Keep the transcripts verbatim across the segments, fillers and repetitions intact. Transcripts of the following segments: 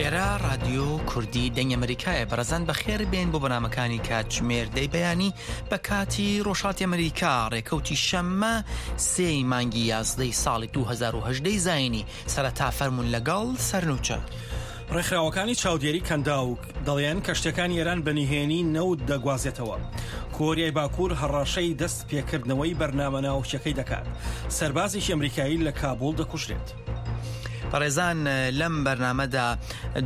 ئێرە ڕادیۆ کوردی دەنگ ئەمریکایە. بەڕێزان، بەخێر بێن بۆ بەنامەکانی کاتژمێر دەی بەیانی بە کاتی ڕۆژهەڵاتی ئەمریکا، ڕێکەوتی شەممە، سێی مانگی یازدەی ساڵی دوو هەزار و هەژدەی زاینی. سەرەتا فەرموون لەگەڵ سەرنوچە. ڕێکخراوەکانی چاودێری کەنداو دەڵێن کە شتەکانی ئێران بە نهێنی نەوت دەگوازێتەوە. کۆریای باکوور هەڕەشەی دەست پێکردنەوەی بەرنامە ناوکیەکەی دەکات. سەربازێکی ئەمریکایی لە کابوڵ دەکوژرێت. بەڕێزان، لەم بەرنامەدا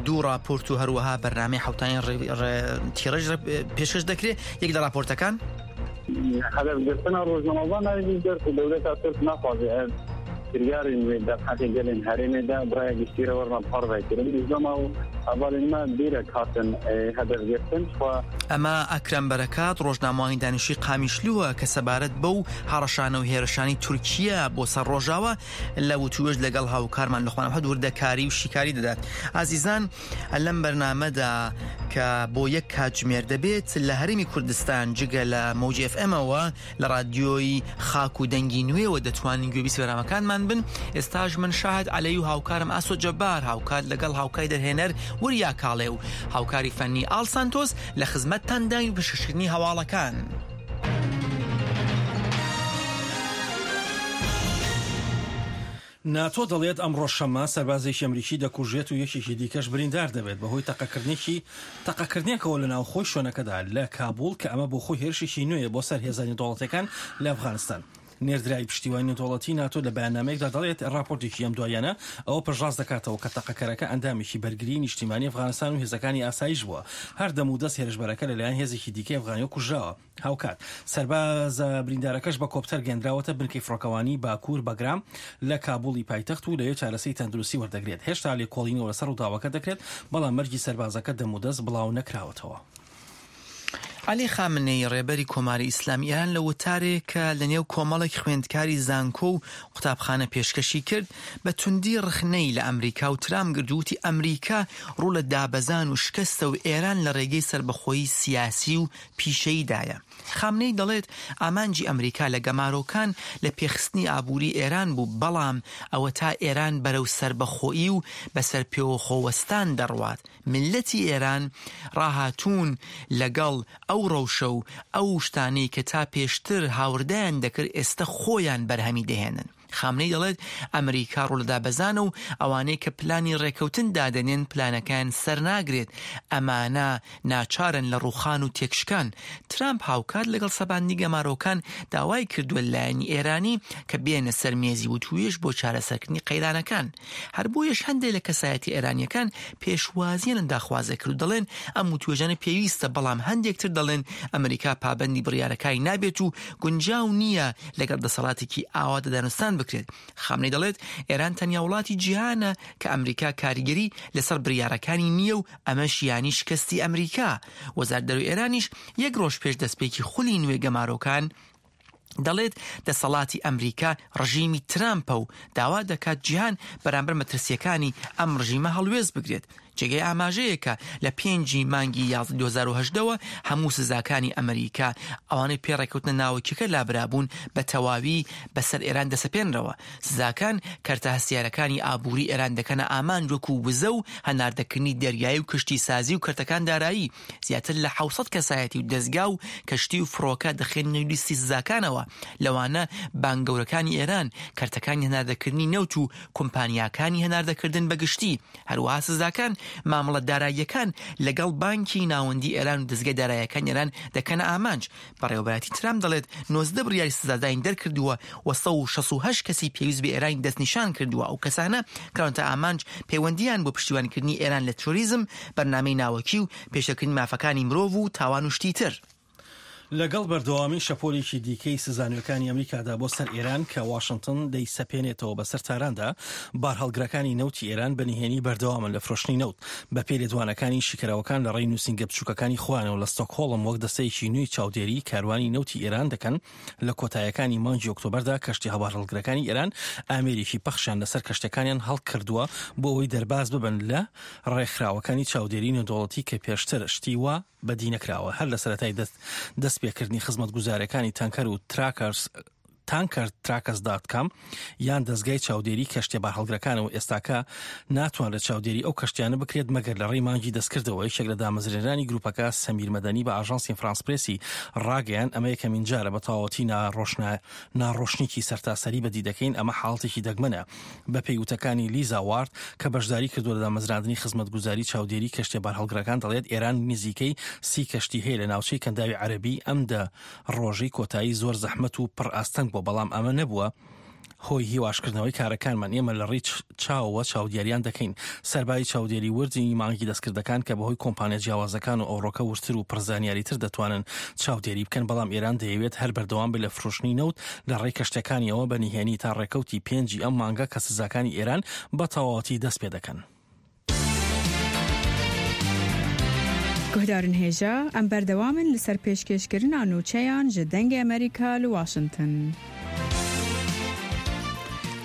دوو راپۆرت و هەروەها بەرنامەی حوتانی ڕێ-، ڕێ-، تیڕژ ڕێ-، پێشکەش دەکرێت. یەک لە راپۆرتەکان. هەدەفگرتنە ڕۆژنامەوان ناوی دەرس و دەولەتا تورک ناخوازێ ئەر کریارین وێ دەرحەقی گەلین هەرێمێدا برای گشتیرە وەرمە پاڕ ڕێکردن. بزدەما و هەواڵین ما بیرە کاتن، ئێ، هەدەفگرتن خوا. ئەمە ئەکرەم بەرەکات، ڕۆژنامەوانی دانیشتوی قامیشلووە کە سەبارەت بەو هەڕەشانە و هێرشانی تورکیا بۆ سەر ڕۆژاوا لە وتوێژ لەگەڵ هاوکارمان لە خوانەوە وردەکاری و شیکاری دەدات. ئازیزان، لەم بەرنامەدا کە بۆ یەک کاتژمێر دەبێت، لە هەرێمی کوردستان جگە لە مەوجی ئێف ئێمەوە، لە ڕادیۆی خاک و دەنگی نوێوە دەتوانین گوێبیستی بەرنامەکانمان بن. ئێستاش من شاهد عەلەی و هاوکارم ئاسۆ جەبار، هاوکات لەگەڵ هاوکاری دەرهێنەر وریا کاڵێ و هاوکاری فەنی ئاڵ سانتۆس لە خزمەتتان داین و پێشکەشکردنی هەواڵەکان. ناتۆ دەڵێت ئەمڕۆ شەممە سەربازێکی ئەمریکی دەکوژێت و یەکێکی دیکەش بریندار دەبێت بەهۆی تەقەکردنێکی، تەقەکردنێکەوە لە ناوخۆی شوێنەکەدا لە کابوڵ، کە ئەمە بۆ خۆی هێرشێکی نوێیە بۆ سەر هێزانی دەوڵەتەکان لە ئەفغانستان. نێردراوی پشتیوانی نەتەوەڵەتی ناتۆ لە بەیاننامەیەکدا دەڵێت ڕاپۆرتێکی ئەم دواییانە ئەوە پشتڕاست دەکاتەوە کە تەقەکەرەکە ئەندامێکی بەرگری نیشتیمانی ئەفغانستان و هێزەکانی ئاسایش بووە. هەر دەم و دەست هێرشبەرەکە لەلایەن هێزێکی دیکەی ئەفغانیەوە کوژراوە. هاوکات، سەربازە بریندارەکەش بە کۆپتەر گەندراوەتە بنکەی فڕۆکەوانی باکوور بەگرام لە کابوڵی پایتەخت و لەوێ چارەسەی تەندروستی وەردەگرێت. هێشتا لێکۆڵینەوە لەسەر ڕووداوەکە دەکرێت، بەڵام مەرگی سەربازەکە دەم و دەست بڵاو نەکراوەتەوە. عەلی خامنەی، ڕێبەری کۆماری ئیسلامی ئێران، لە وتارێکە لە نێو کۆمەڵێک خوێندکاری زانکۆ و قوتابخانە پێشکەشی کرد، بە توندی ڕخنەی لە ئەمریکا و ترامپ گرت و وتی ئەمریکا ڕوو لە دابەزان و شکستە و ئێران لە ڕێگەی سەربەخۆیی سیاسی و پیشەییدایە. خامنەی دەڵێت ئامانجی ئەمریکا لە گەمارۆکان لە پێخستنی ئابووری ئێران بوو، بەڵام ئەوە تا ئێران بەرەو سەربەخۆیی و بەسەر پێوە خۆوەستان دەڕوات. میللەتی ئێران ڕاهاتوون لەگەڵ ئەو ڕەوشە و ئەو شتانەی کە تا پێشتر هاوردەیان دەکرد، ئێستا خۆیان بەرهەمی دەهێنن. خامنەی دەڵێت ئەمریکا ڕوو لە دابەزانە و ئەوانەی کە پلانی ڕێکەوتن دادەنێن پلانەکەیان سەر ناگرێت. ئەمانە ناچارن لە ڕووخان و تێکشکان. ترامپ هاوکات لەگەڵ سەباندنی گەمارۆکان داوای کردووە لایەنی ئێرانی کە بێنە سەر مێزی وتووێژ بۆ چارەسەرکردنی قەیرانەکان. هەر بۆیەش هەندێک لە کەسایەتی ئێرانیەکان پێشوازیان داخوازە کرد و دەڵێن ئەم وتووێژانە پێویستە، بەڵام هەندێک تر دەڵێن ئەمریکا پابەندی بڕیارەکانی نابێت و گونجاو نییە لەگەڵ دەسەڵاتێکی ئاوا دەدانوستان بکرێت. خامنەی دەڵێت ئێران تەنیا وڵاتی جیهانە کە ئەمریکا کاریگەری لەسەر بڕیارەکانی نییە و ئەمەش یانی شکستی ئەمریکا. وەزارەت دەرەوەی ئێرانیش یەک ڕۆژ پێش دەستپێکی خولی نوێ گەمارۆکان دەڵێت دەسەڵاتی ئەمریکا ڕژیمی ترامپە و داوا دەکات جیهان بەرامبەر مەترسیەکانی ئەم ڕژیمە هەڵوێست بگرێت. جێگەی ئاماژەیەکە لە پێنجی مانگی یازدە دوو هەزار و هەژدەوە هەموو سزاکانی ئەمریکا ئەوانەی پێڕێکەوتنە ناوەکیەکە لابرابوون بە تەواوی بەسەر ئێران دەسەپێنرەوە. سزاکان کەرتە هەستیارەکانی ئابووری ئێران دەکەنە ئامانج، وەکو وزە و هەناردەکردنی دەریایی و کشتی سازی و کەرتەکان دارایی. زیاتر لە حەوت سەد کەسایەتی و دەستگا و کەشتی و فڕۆکە دەخێنە نێو لیستی سزاکانەوە، لەوانە بانک گەورەکانی ئێران، کەرتەکانی هەناردەکردنی نەوت و کۆمپانیاکانی هەناردەکردن بەگشتی. هەروەها سزاکان مامەڵە داراییەکان لەگەڵ بانکی ناوەندی ئێران و دەستگای داراییەکان ئێران دەکەنە ئامانج. بەڕێوەبەرایەتی ترامپ دەڵێت نۆزدە بڕیاری سزادانی دەرکردووە و سەد و شەست و هەشت کەسی پێویست بە ئێرانی دەستنیشان کردووە. ئەو کەسانە کراونەتە ئامانج پەیوەندیان بۆ پشتیوانیکردنی ئێران لە تروریزم، بەرنامەی ناوەکی و پێشێلکردنی مافەکانی مرۆڤ و تاوان و شتی تر. لەگەڵ بەردەوامی شەپۆلێکی دیکەی سزانوێکانی ئەمریکادا بۆ سەر ئێران کە واشنگتن دەیسەپێنێتەوە بەسەر تاراندا، بارهەڵگرەکانی نەوتی ئێران بە نهێنی بەردەوامن لە فرۆشتنی نەوت. بە پێی لێدوانەکانی شیکەراوەکان لە ڕێی نووسینگە بچووکەکانی خۆیانەوە لە ستۆکهۆڵم وەک دەستەیەکی نوێی چاودێری کاروانی نەوتی ئێران دەکەن، لە کۆتایەکانی مانگی ئۆکتۆبەردا کەشتی هەبارهەڵگرەکانی ئێران ئامێرێکی پەخشیان لەسەر کەشتەکانیان هەڵکردووە بۆ ئەوەی دەرباز ببن لە ڕێکخراوەکانی چاودێری نێودەوڵەتی کە پێشتر شتی وا بەدی نەکراوە. هەر لە سەرەتای دەست، دەست پێکردنی خزمەتگوزارەکانی تانکەر و تراکەرز tankertrackers.com یان دەستگای چاودێری کەشتیە بارهەڵگرەکانەوە. ئێستاکە ناتوانرێت چاودێری ئەو کەشتیانە بکرێت مەگەر لە ڕێی مانگی دەستکردەوە. یەکێک لە دامەزرێنانی گروپەکە، سەمیر مەدەنی، بە ئاژانسی فرانس پرێسی ڕاگەیان، ئەمە یەکەمین جارە بە تەواوەتی ناڕۆشنە-، ناڕۆشنیکی سەرتاسەری بەدی دەکەین. ئەمە حاڵەتێکی دەگمەنە. بە پێی وتەکانی لیزا وارد کە بەشداری کردووە لە دامەزراندنی خزمەتگوزاری چاودێری کەشتیە بارهەڵگرەکان، دەڵێت ئێران نزیکەی سی کەشتی هەیە لە ناوچەی کەنداوی عەرەبی. ئەم دە ڕۆژەی کۆتایی زۆر زەحمەت و پڕ ئاستەنگ بووە، بەڵام ئەمە نەبووە هۆی هیواشکردنەوەی کارەکانمان. ئێمە لە ڕیچ چاوەوە چاودێریان دەکەین. سەرباری چاودێری وردی مانگی دەستکردەکان کە بەهۆی کۆمپانیا جیاوازەکان و ئەوڕۆکە وردتر و پڕزانیاری تر دەتوانن چاودێری بکەن، بەڵام ئێران دەیەوێت هەر بەردەوام بێت لە فرۆشتنی نەوت لە ڕێی کەشتەکانیەوە بە نهێنی تا ڕێکەوتی پێنجی ئەم مانگە کە سزاکانی ئێران بە تەواوەتی دەست پێ دەکەن. Guhdarên hêja, em berdewam in li ser pêşkêşkirina nûçeyan ji Dengê Amerîka li Washington.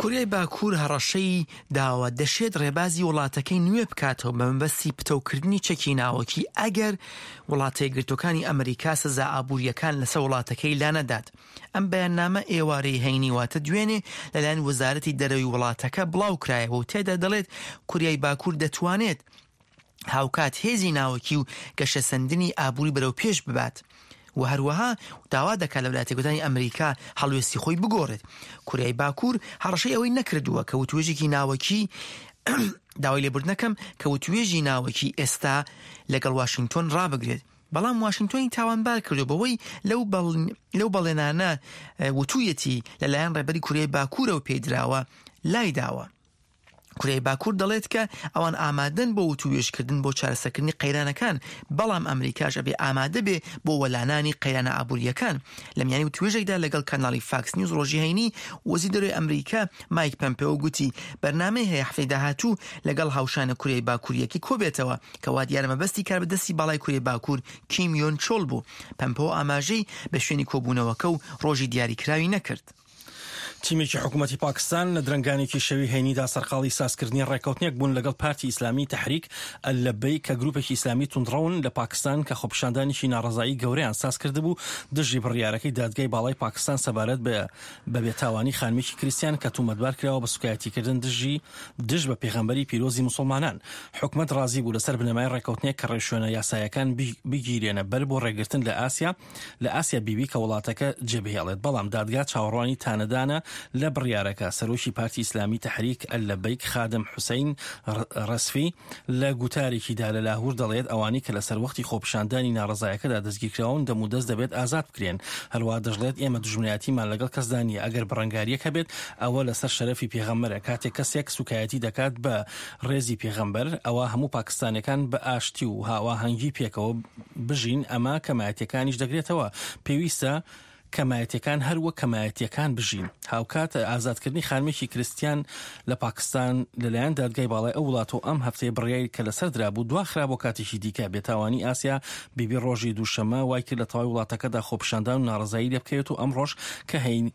کوریای باکوور هەڕەشەی داوە دەشێت ڕێبازی وڵاتەکەی نوێ بکاتەوە بە مەبەستی پتەوکردنی چەکی ناوەکی ئەگەر وڵاتە یەکگرتووەکانی ئەمریکا سزا ئابووریەکان لەسەر وڵاتەکەی لانەدات. ئەم بەیاننامە ئێوارەی هەینی، واتە دوێنێ، لەلایەن وەزارەتی دەرەوەی وڵاتەکە بڵاو کرایەوە و تێدا دەڵێت کوریای باکوور دەتوانێت هاوکات هێزی ناوەکی و گەشەسەندنی ئابووری بەرەو پێش ببات و هەروەها داوا دەکات لە ویلایەتە یەکگرتووەکانی ئەمریکا هەڵوێستی خۆی بگۆڕێت. کوریای باکوور هەڕەشەی ئەوەی نەکردووە کە وتوێژێکی ناوەکی داوای لێبوردنەکەم کە وتوێژی ناوەکی ئێستا لەگەڵ واشنگتۆن ڕابگرێت، بەڵام واشنگتۆنی تاوانبار کردو بەوەی لەو بەڵ-، لەو بەڵێنانە، ئە، وتوویەتی لەلایەن ڕێبەری کوریای باکوورەوە پێدراوە لای داوە. کوریای باکوور دەڵێت کە ئەوان ئامادەن بۆ وتووێژکردن بۆ چارەسەرکردنی قەیرانەکان، بەڵام ئەمریکاش ئەبێ ئامادە بێ بۆ وەلانانی قەیرانە ئابووریەکان. لە میانی وتووێژێکدا لەگەڵ کەناڵی فاکس نیوز ڕۆژی هەینی، وەزیر دەرەوەی ئەمریکا مایک پەمپێۆ گوتی بەرنامەی هەیە هەفتەی داهاتوو لەگەڵ هاوشانە کوریای باکوور یەکی کۆبێتەوە، کە وا دیارە مەبەستی کاربەدەستی باڵای کوریای باکوور کیم یۆن چۆل بوو. پەمپەوە ئاماژەی بە شوێنی کۆبوونەوەکە و ڕۆژی دیاریکراوی نەکرد. تیمێکی حکوومەتی پاکستان لە درەنگانێکی شەوی هەینیدا سەرقاڵی سازکردنی ڕێکەوتنێک بوون لەگەڵ پارتی ئیسلامی تەحریک ئەللەبەی کە گروپێکی ئیسلامی توندڕەون لە پاکستان کە خۆپیشاندانێکی ناڕەزایی گەورەیان ساز کردبوو دژی بڕیارەکەی دادگای باڵای پاکستان سەبارەت بە بە بێتاوانی خانمێکی کریستیان کە تومەتبار کراوە بە سوکایەتیکردن دژی، دژ بە پێغەمبەری پیرۆزی موسڵمانان. حکومەت ڕازی بوو لەسەر بنەمای ڕێکەوتنێک کە ڕێوشوێنە یاسایەکان بی-، بگیرێنە بەر بۆ ڕێگرتن لە ئاسیا، لە ئاسیا بیبی کە وڵاتەکە جێبهێڵێت. بەڵام دادگا چاوەڕوانی تانەدانە لە بڕیارەکە. سەرۆکی پارتی ئیسلامی تەحریک ئەللەبەیک خادم حوسەین ڕ-، ڕەسفی لە گوتارێکیدا لە لاهور دەڵێت ئەوانەی کە لەسەر وەختی خۆپیشاندانی ناڕەزایەکەدا دەستگیرکراون دەمودەست دەبێت ئازاد بکرێن. هەروەها دەژڵێت ئێمە دژمنایەتیمان لەگەڵ کەسدا نییە. ئەگەر بەڕەنگاریەک هەبێت ئەوە لەسەر شەرەفی پێغەمبەرە. کاتێک کەسێک سوکایەتی دەکات بە ڕێزی پێغەمبەر، ئەوە هەموو پاکستانیەکان بە ئاشتی و هاواهەنگی پێکەوە بژین، ئەمە کەمایەتیەکانیش دەگرێتەوە. پێویستە کەمایەتیەکان هەر وەک کەمایەتیەکان بژین. هاوکات ئازادکردنی خانمێکی کریستیان لە پاکستان لەلایەن دادگای باڵای ئەو وڵاتەوە ئەم هەفتەیە بڕیاری کە لەسەر درابوو دواخرا بۆ کاتێکی دیکە. بێتاوانی ئاسیا بیبی ڕۆژی دووشەممە وای کرد لە تەواوی وڵاتەکەدا خۆپیشاندان و ناڕەزایی لێ بکەوێت و ئەم ڕۆژ کە هەین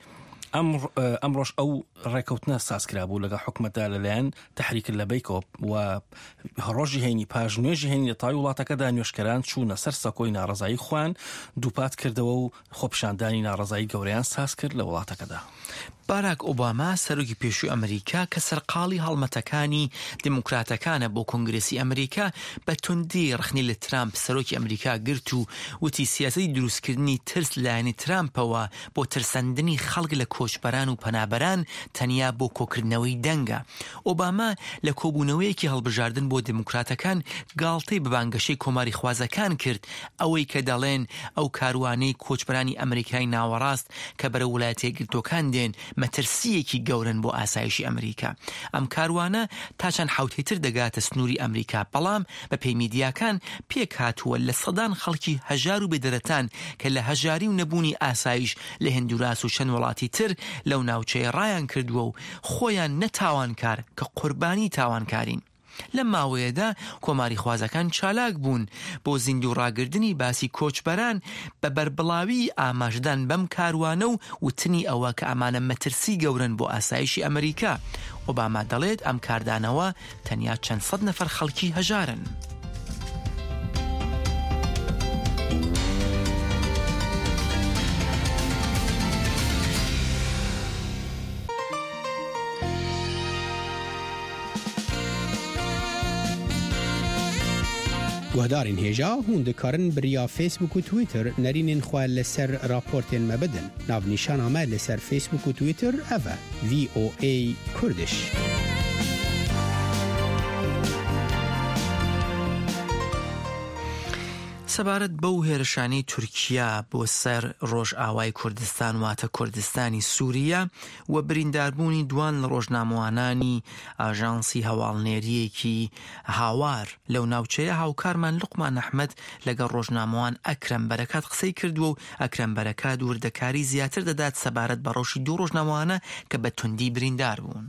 ئەم ڕ-، ئەم ڕۆژ ئەو ڕێکەوتنە سازکرا بوو لەگەڵ حکومەتدا لەلایەن تەحریک لەبەیکۆ و ڕۆژی هەینی پاش نوێژی هەینی لە تەواوی وڵاتەکەدا نوێشکەران چوونە سەر سەکۆی ناڕەزایی خوان دووپات کردەوە و خۆپیشاندانی ناڕەزایی گەورەیان ساز کرد لە وڵاتەکەدا. باراک ئۆباما، سەرۆکی پێشووی ئەمریکا کە سەرقاڵی هەڵمەتەکانی دیموکراتەکانە بۆ کۆنگرێسی ئەمریکا، بە توندی ڕخنی لە ترامپ سەرۆکی ئەمریکا گرت و وتی سیاسەتی دروستکردنی ترس لەلایەنی ترامپەوە بۆ ترسەندنی خەڵک لە کۆچبەران و پەنابەران تەنیا بۆ کۆکردنەوەی دەنگە. ئۆباما لە کۆبوونەوەیەکی هەڵبژاردن بۆ دیموکراتەکان گاڵتەی بە بانگەشەی کۆماری خوازەکان کرد، ئەوەی کە دەڵێن ئەو کاروانەی کۆچبەرانی ئەمریکای ناوەڕاست کە بەرەو ویلایەتە یەکگرتووەکان دێن مەترسیەکی گەورەن بۆ ئاسایشی ئەمریکا. ئەم کاروانە تا چەند حەوتەی تر دەگاتە سنووری ئەمریکا، بەڵام بە پێی میدیاکان پێک هاتووە لە سەدان خەڵکی هەژار و بێدەرەتان کە لە هەژاری و نەبوونی ئاسایش لە هندوراس و چەند وڵاتی تر لەو ناوچەیە ڕایان کردووە و خۆیان نە تاوانکار کە قوربانی تاوانکارین. لەم ماوەیەدا کۆماری خوازەکان چالاک بوون بۆ زیندوو ڕاگردنی باسی کۆچبەران بە بەربڵاوی ئاماژدان بەم کاروانە و وتنی ئەوە کە ئەمانە مەترسی گەورەن بۆ ئاسایشی ئەمریکا. ئۆباما دەڵێت ئەم کاردانەوە تەنیا چەند سەد نەفەر خەڵکی هەژارن. Guhdarên hêja, hûn dikarin bi riya Facebook û Twitter nerînên xwe li ser raportên me bidin. Navnîşana me li ser Facebook û Twitter ev e, V O A Kurdish. سەبارەت بەو هێرشانەی تورکیا بۆ سەر ڕۆژئاوای کوردستان، واتە کوردستانی سووریە، و برینداربوونی دوان لە ڕۆژنامەوانانی ئاژانسی هەواڵنێریەکی هاوار لەو ناوچەیە، هاوکارمان لوقمان ئەحمەد لەگەڵ ڕۆژنامەوان ئەکرەم بەرەکات قسەی کردووە و ئەکرەم بەرەکات وردەکاری زیاتر دەدات سەبارەت بە ڕەوشی دوو ڕۆژنامەوانە کە بە توندی بریندار بوون.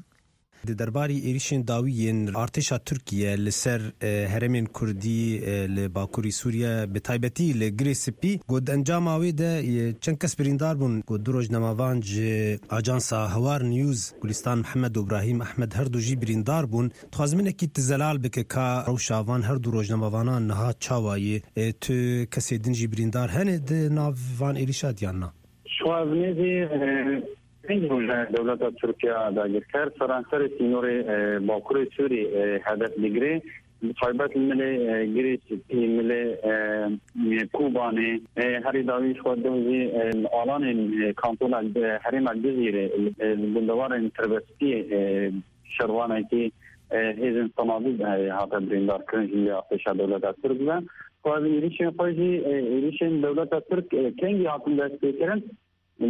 Di derbarî êrîşên dawî yên artêşa Tirkiye li ser e, herêmên Kurdî e, li Bakurî Sûriye, bi taybetî li Girê Spî, got di encama wê de e, çend kes birîndar bûn. Got du rojnamevan ji ajansa Hewar News, Gulistan Mihemed û Brahîm Ehmed, her du jî birîndar bûn. Dixwazim hinekî tu zelal bike ka rewşa van her du rojnamevana niha çawa ye? E, tu kesê din jî birîndar hene di nav van êrîşa diyan na? Şwazmê zî e, pênc roj e dewleta Tirkiye dagirker seranserê sînorê e, Bakurê Sûrî e, hedef digire. Bi taybet li milê e, Girê Spî, milê e, Kûbanê, e, herî dawî ji xwe duh jî e, li alanên e, kantona e, herêma Cizîrê e, li gundewarên Tirbespiyê e, şervanekî e, hêzên Senadî de hate birîndarkirin ji milê artêşa dewleta Tirk ve. Xwe êrîşên xwe jî e, êrîşên dewleta Tirk e, kengî hatin destpêkirin.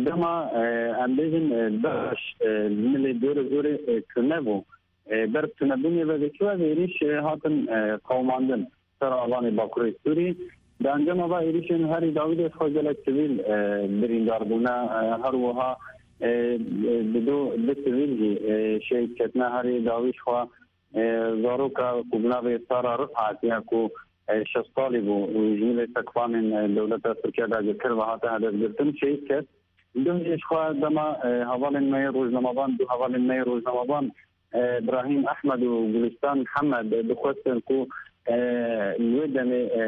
Dema e, em bêjin e, DAIŞ e, li milê dor û zorê e, tune bû. E, ber tunebûnê ve vêkî ve êrîş e, hatin e, qewimandin ser alanê Bakurê Sûrî. Di encama va êrîşên herî dawî de xwe gelek sivîl e, birîndar bûne. E, her wiha e, e, di du, du sivîl jî e, şehîd ketine. Herî dawî ji xwe e, zaroka ku bi navê Sara Rifat ya ku e, şeş salî bû û ji milê sekvanên e, dewleta Tirkiye dagirker ve hate hedefgirtin, şehîd ket. Duh jî ji xwe dema e, hevalên me yê rojnamevan, du hevalên me yê rojnamevan, e, Brahîm Ehmed û Gulistan Mihemed, e, dixwestin ku e, li wê demê e,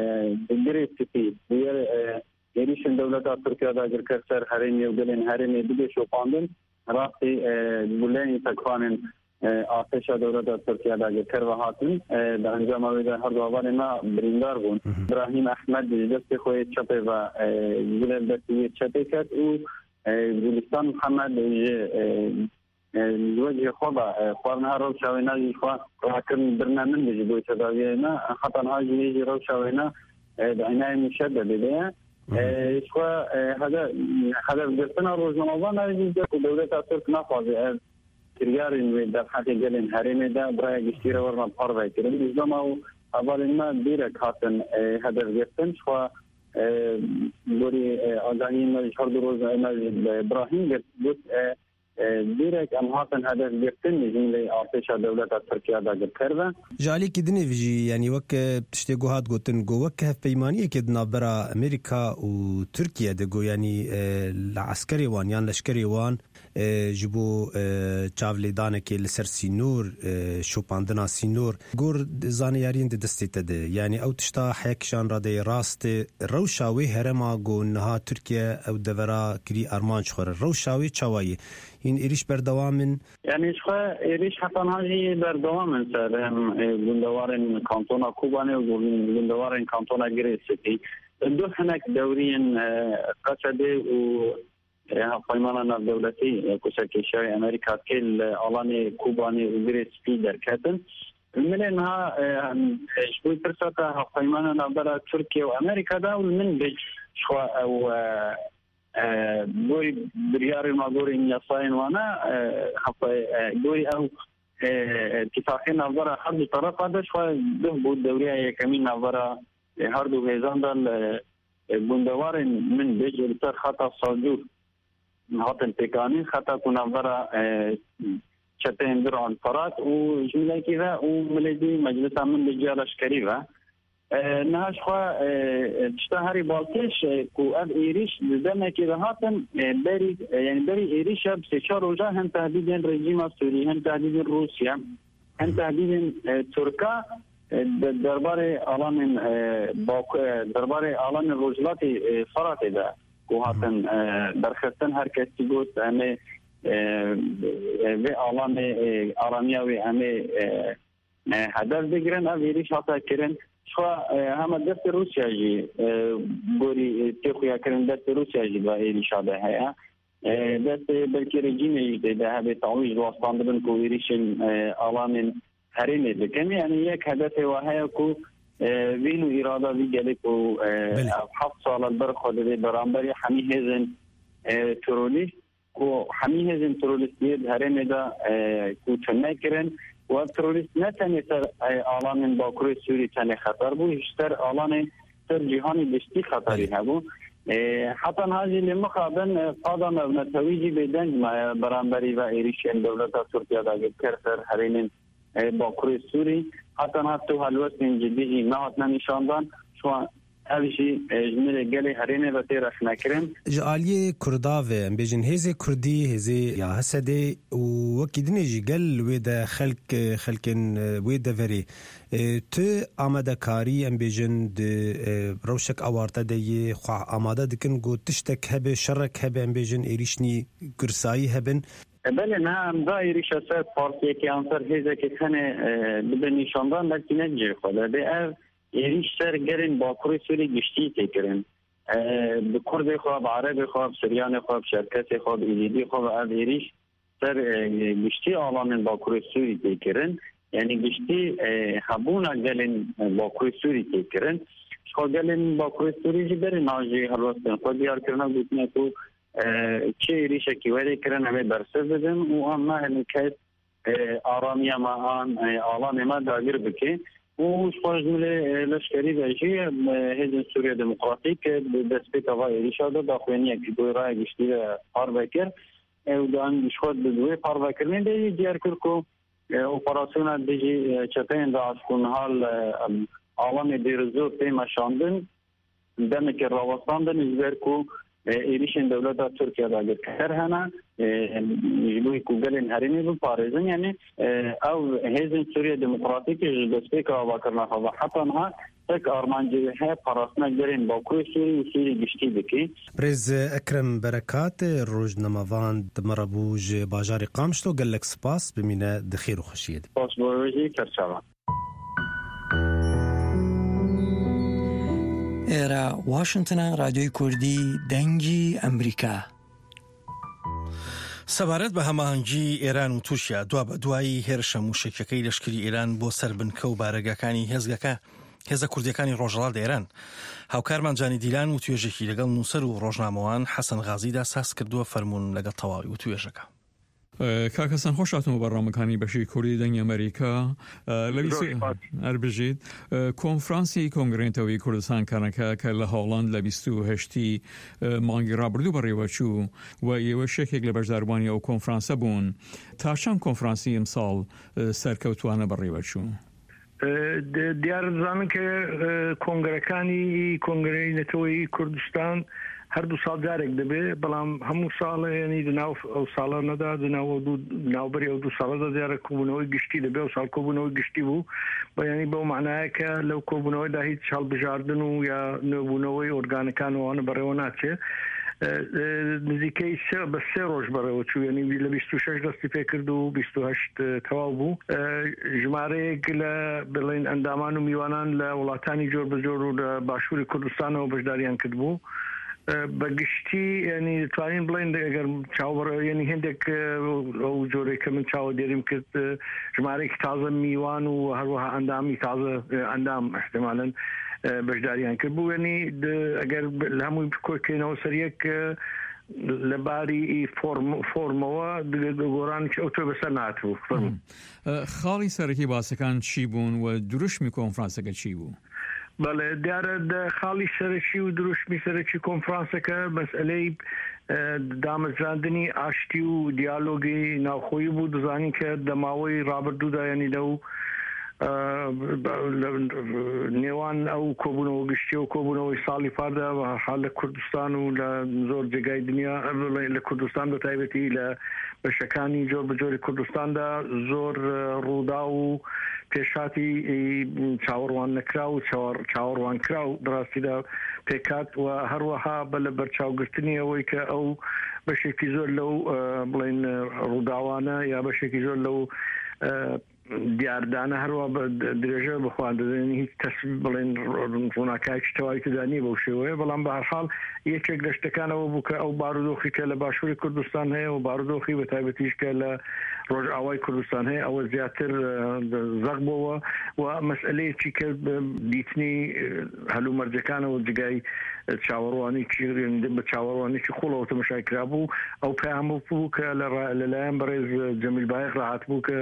di Girê Spî, di yê, e, êrîşên dewleta Tirkiye dagirker ser herêmê û gelên herêmê bibê şopandin, rastî e, guleyên sekvanên e, artêşa dewleta Tirkiye dagirker ve hatin. E, di encama wê de her du hevalên me birîndar bûn. Brahîm Ehmed ji destê xwe yê çepê ve e, gule li destê yê çepê ket û e, Gulistan Mihemed ji e, e, ji wecihê xwe ve e, xwarin her rewşa wê ne jî xwe rakirin birine min de ji bo tedawiyê ne. Heta niha jî wê jî rewşa wê ne e, di eynayê muşededê de ye. E, ji xwe e, hede-, hedefgirtina rojnamevan ev jî ku dewleta Tirk naxwaze ev kiryarên wê derheqê gelên herêmê de bi raya giştî re werna parve kirin. Ji dema û hevalên me dîrek hatin e, hedefgirtin. Ji xwe e, gorî e, agahiyên me ji her du roj me ji Brahîm girt, got e, e, dîrek em hatin hedefgirtin ji milê artêşa dewleta Tirkiye dagirker ve. Ji aliyekî dinê vî jî, yanî wek e, tiştê ku hat gotin, got wek hevpeymaniyekê di navbera Amerîka û Tirkiye de, got yanî e, li eskerê wan yan leşkerê wan e, ji bo e, çavlêdanekê li ser sînor, e, şopandina sînor, gor zaniyariyên di destê te de. Yanî ew tişta heye kişan radeyê rast e. Rewşa wê herêma ku niha Tirkiye ew devera kirî armanc xwe re. Rewşa wê çawa ye? Hîn êrîş berdewam in? Yanî ji xwe êrîş heta niha jî berdewam in ser em, e, gundewarên kantona Kobanê û gun-, gundewarên kantona Girê Spî. Du hinek dewriyên e, Qesedê û e, hevpeymana navdewletî, e, ku serkêşiya wê Amerîka tê li alanê Kobanê û Girê Spî derketin. Milê niha e, em, e, ji bo pirsa te hevpeymana navbera Tirkiye û Amerîka de û li min bêj ji xwe ew e, e, gorî biryarên me, gorî yasayên wane, e, hevpe-, e, gorî ew e, îtîfaqê navbera her du terefa de ji xwe duh bû dewriya yekemîn navbera e, her du hêzan de li e, gundewarên min bêje li ser xeta Salcûr hatin pêkanîn, xeta ku navbera e, çeteyên Dir an Ferat û ji milekî ve û milê dî meclisa min bêje leşkerî ve. E, niha ji xwe e, e, tişta herî balkêş e, ku ev êrîş di demekê de hatin e, berî, e, yani berî êrîşa bi sê çar roja hem tehdîdên rejîma Sûrî, hem tehdîdên Rûsya, hem tehdîdên e, Tirka e, de, derbarê alanên e, Baku, e, derbarê alanên Rojhilatê e, Feratê de ku hatin e, derxistin, her kesî got em ê e, e, vê alanê e, aramiya wê em ê e, e, hedef bigirin. Ev êrîş hate kirin. Çiwa, e, hema destê Rûsya jî, e, gorî, e, tê xuyakirin destê Rûsya jî di êrîşa de heye. E, destê belkî rejîmê jî tê de hebe tawî ji wastandibin ku êrîşên, e, alanên herêmê dikin. Yani yek hedefê we heye ku, e, vîn û îrada vî gelê ku, e, Belê. ev heft sal li ber xwe didê beramberî hemî hêzên, e, terorîst ku hemî hêzên terorîstiyê di herêmê de, e, ku tune kirin û ev terorîst ne tenê ser, e, alanên Bakurê Sûrî tenê xeter bû, ji ser alanê ser cîhanê giştî xeterî Belê. hebû. E, heta niha jî lê mixabin, e, qada navnetewî jî bêdeng maye beramberî ve êrîşên dewleta Tirkiye dagirker ser herêmên, e, Bakurê Sûrî. Heta niha tu helwestên cidî jî nehatine nîşandan. Şu an ev jî, e, ji nirê gelê herêmê ve tê rexnekirin. Ji aliyê Kurda ve, em bêjin hêzê Kurdî, hêzê ya Hesedê û wekî dinê jî gel wê de xelk, e, xelkên, e, wê deverê, e, tu amadekarî, em bêjin, di, e, rewşek awarte de yê xwe amade dikin, ku tiştek hebe, şerek hebe, em bêjin êrîşnî gursayî hebin. E, belê, niha em da êrîşa ser partiyekê an ser hêzekê tenê, e, bibe nîşandan, belkî ne cihê xwe de. Bê ev êrîş ser gelên Bakurê Sûrî giştî tê kirin. E, bi Kurdê xwe, bi Erebê xwe, bi Siryanê xwe, bi Çerkesê xwe, bi Êzîdî xwe ve ev êrîş ser, e, giştî alanên Bakurê Sûrî tê kirin. Yani giştî, e, hebûna gelên, e, Bakurê Sûrî tê kirin. Ji xwe gelên Bakurê Sûrî jî berê niha jî helwestên xwe diyar kirine, gotine ku, e, çi êrîşekî werê kirin, em ê bersiv bidin û em nahêlin kes, e, aramiya me an, e, alanê me dagir bike. Û ji xwe ji milê, e, leşkerî ve jî, e, Hêzên Sûriya Demokratîk, e, di destpêka va êrîşa de daxuyaniyekî ku raya giştî ve parve kir. E, û dan ji xwe di wê parvekirinê de jî diyar kir ku, e, operasyona dijî, e, çeteyên DAIŞ ku niha li, e, alanê Dêrizor tê meşandin, demekê rawestandin ji ber ku, e, êrîşên dewleta Tirkiye dagirker hene, e, ji bo ku gelên herêmê biparêzin. Yani, e, ew Hêzên Sûriye Demokratîk ji destpêka avakirina xwe ve heta niha tek armancê he parastina gelên Bakurê Sûrî û Sûrî giştî dike. Birêz Ekrem Berekat, rojnamevan di me re bû ji bajarê Qamişlo. Gelek spas, bimîne di xêr û xweşiyê de. Spas bo we jî, serçava. ئێرە واشنگتنە، ڕادیۆی کوردی دەنگی ئەمریکا. سەبارەت بە هەماهەنگی ئێران و تورکیا، دوا بە دوایی هێرشە موشەکیەکەی لەشکری ئێران بۆ سەر بنکە و بارەگاکانی هێزگەکە، هێزە کوردیەکانی ڕۆژهەڵات لە ئێران، هاوکارمان جانی دیلان و توێژێکی لەگەڵ نووسەر و ڕۆژنامەوان حەسەن غازیدا ساز کردووە. فەرموون لەگەڵ تەواوی و توێژەکە. ئە، کاک حەسەن، خۆش هاتن بۆ بەڕامەکانی بەشی کوردی دەنگی ئەمریکا. ئە، لە بیست، زۆر سپاس. هەر بژیت. ئە، کۆنفرانسی کۆنگرەی نەتەوەیی کوردستان کەنەکە کە لە هۆڵەند لە بیست و هەشتی، ئە، مانگی ڕابردوو بەڕێوە چوو و ئێوەش یەکێک لە بەشداربووانی ئەو کۆنفرانسە بوون. تا چەند کۆنفرانسی ئەمساڵ، ئە، سەرکەوتوانە بەڕێوە چوو؟ ئە، د-، دیارە دەزانن کە، ئە، کۆنگرەکانی کۆنگرەی نەتەوەیی کوردستان هەردوو ساڵ جارێک دەبێ، بەڵام هەموو ساڵ، یعنی، لە ناو ئەو ساڵانەدا، لە ناو ئەو دوو، ناوبەری ئەو دوو ساڵەدا دیارە کۆبوونەوەی گشتی دەبێ. ئەو ساڵ کۆبوونەوەی گشتی بوو، بە، یعنی، بەو معنایە کە لەو کۆبوونەوەدا هیچ هەڵبژاردن و یا نوێبوونەوەی ئۆرگانەکان و ئەوانە بەڕێوە ناچێ. ئە، ئە، نزیکەی سێ، بە سێ ڕۆژ بەڕێوە چوو، یعنی، لە بیست و شەش دەستی پێ کرد و بیست و هەشت تەواو بوو. ئە، ژمارەیەک لە، بڵێن، ئەندامان و میوانان لە وڵاتانی جۆر بە جۆر و لە باشووری کوردستانەوە بەشداریان کرد بوو. ئە، بە گشتی، یعنی، دەتوانین بڵێن، ئەگەر چاوەڕێ-، یعنی، هێندێک، ئە، ئەو جۆرەی کە من چاوە دێریم کرد، ئە، ژمارەیەکی تازە میوان و هەروەها ئەندامی تازە، ئە، ئەندام، احتمالاً، ئە، بەشداریان کرد بوو. یعنی، د-، ئەگەر ب-، لە هەمووی بکۆکێنەوە سەر یەک، ئە، لە باری ئی فۆرم-، فۆرمەوە دگە-، گۆڕانێکی ئەو تۆ بەسەر نهاتبوو. فەرموو. مم. ئە، خاڵی سەرەکی باسەکان چی بوون و دروشمی کۆنفرانسەکە چی بوو؟ بەڵێ، دیارە دە-، خاڵی سەرەکی و دروشمی سەرەکی کۆنفرانسەکە مەسئلەی، ئە، دامەزراندنی ئاشتی و دیالۆگی ناوخۆیی بوو. دەزانین کە دەماوەی ڕابردوودا، یعنی لەو، ئە، بە-، لە نێوان ئەو کۆبوونەوە گشتی و کۆبوونەوەی ساڵی پاردا، بە هەر حال لە کوردستان و لە زۆر جێگای دنیا، ئە، بڵێ، لە کوردستان بە تایبەتی لە بەشەکانی جۆر بە جۆری کوردستاندا زۆر، ئە، ڕوودا و پێشاتی، ئی، چاوەڕوان نەکرا و چاوەڕ-، چاوەڕوان کرا و بەڕاستیدا پێکات و هەروەها بە لە بەرچاوگرتنی ئەوەی کە ئەو بەشێکی زۆر لەو، ئە، بڵێن، ڕووداوانە یا بەشێکی زۆر لەو، ئە، دیاردانە هەروە بە درێژە بخواردن، هیچ تەس بڵێن ڕووناکایکی تەواوی تێدا نییە بەو شێوەیە. بەڵام بە هەر حاڵ یەکێک لە شتەکان ئەوە بوو کە ئەو بارودۆخی کە لە باشووری کوردستان هەیە و بارودۆخی بە تایبەتیش کە لە ڕۆژئاوای کوردستان هەیە، ئەوە زیاتر زەق بۆوە و مەسئلەیەکی کە دیتنی هەلومەرجەکانەوە جگای چاوەڕوانێکی بە چاوەڕوانێکی قوڵەوە تەمەشای کرابوو. ئەو پەیامە بوو کە لە ڕا- لەلایەن بەڕێز جەمیل بایق ڕاهات بوو کە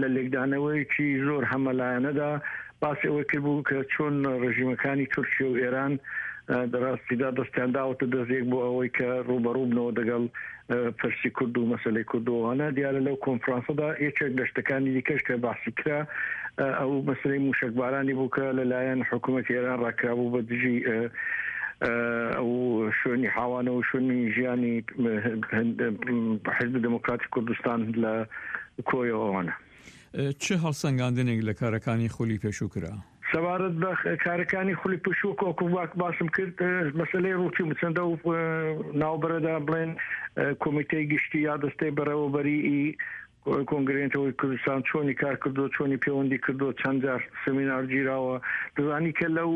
لە لێکدانەوەیەکی زۆر هەمەلایەنەدا باسی ئەوەی کردبوو کە چۆن ڕژیمەکانی تورکیا و ئێران، ئە، دەڕاستیدا دەستیان داوەتە دەستێک بۆ ئەوەی کە ڕوبەڕوو بنەوە دەگەڵ، ئە، پرسی کورد و مەسەلەی کورد و ئەوانە. دیارە لەو کۆنفرانسەدا یەکێک لە شتەکانی دیکەش کە باسی کرا، ئە، ئەو مەسەلەی موشەکبارانی بوو کە لەلایەن حکوومەتی ئێران ڕاکرابوو بە دژی، ئە، ئە، ئەو شوێنی حاوانە و شوێنی ژیانی، ئە، هەند-، حزب دموکراتی کوردستان لە کۆیەوە ئەوانە. چه هەڵسەنگاندنێک لە کارەکانی خولی پێشوو کرا؟ سەبارەت بە کارەکانی خولی پێشوو کۆکو باک باسم کرد، مەسلەی ڕووتی چەندە و ناوبەرەدا بڵێن کۆمیتەی گشتی یا دەستەی بەڕێوەبەری ئی کۆنگرێنتەوەی کوردستان چۆنی کار کردو، چۆنی پەیوەندی کردو، چەند جار سمینار گیراوە. دەزانی کە لەو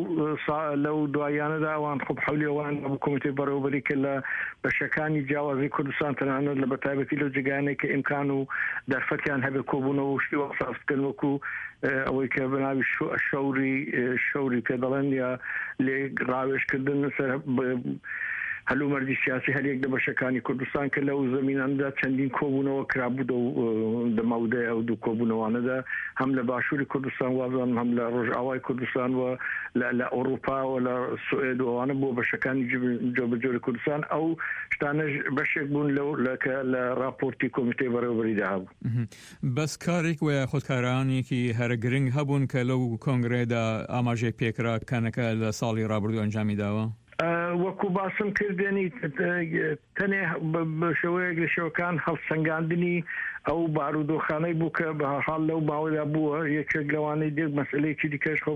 سا-، لەو دواییانەدا ئەوان خۆ حەولی ئەوان بۆ کۆمیتەی بەڕێوەبەری کە لە بەشەکانی جیاوازی کوردستان، تەنانەت لە بەتایبەتی لەو جێگایانەی کە ئیمکان و دەرفەتیان هەبێ کۆبوونەوە و شتی وەک ساز بکەن، وەکو، ئە، ئەوەی کە بە ناوی شو-، شەوری، ئە، شەوری پێ دەڵێن یا لێ ڕاوێژکردن سەر ب-، هەلومەرجی سیاسی هەریەک لە بەشەکانی کوردستان کە لەو زەمینانەدا چەندین کۆبوونەوە کرابوو دەو، ئە، دەماودەی ئەو دوو کۆبوونەوانەدا، هەم لە باشووری کوردستان وازان، هەم لە ڕۆژئاوای کوردستان و لە، لە ئەوروپا و لە سوئد و ئەوانە بۆ بەشەکانی جب-، جۆبەجۆری کوردستان. ئەو شتانەش بەشێک بوون لەو، لە، کە لە راپۆرتی کۆمیتەی بەڕێوەبەریدا هەبوو. مهم. بەس کارێک وە یاخود کارانێکی هەرە گرنگ هەبوون کە لەو کۆنگرەیەدا ئاماژەی پێکرا کەنەکە لە ساڵی ڕابردوو ئەنجامی داوە؟ ئە، وەکو باسم کرد، یعنی، ئە، تەنێ بە، بە شێوەیەک لە شێوەکان هەڵسەنگاندنی ئەو بارودۆخانەی بوو کە بە هەر حاڵ لەو ماوەدا بووە. یەکێک لەوانەی دێک مەسئلەیەکی دیکەش خۆ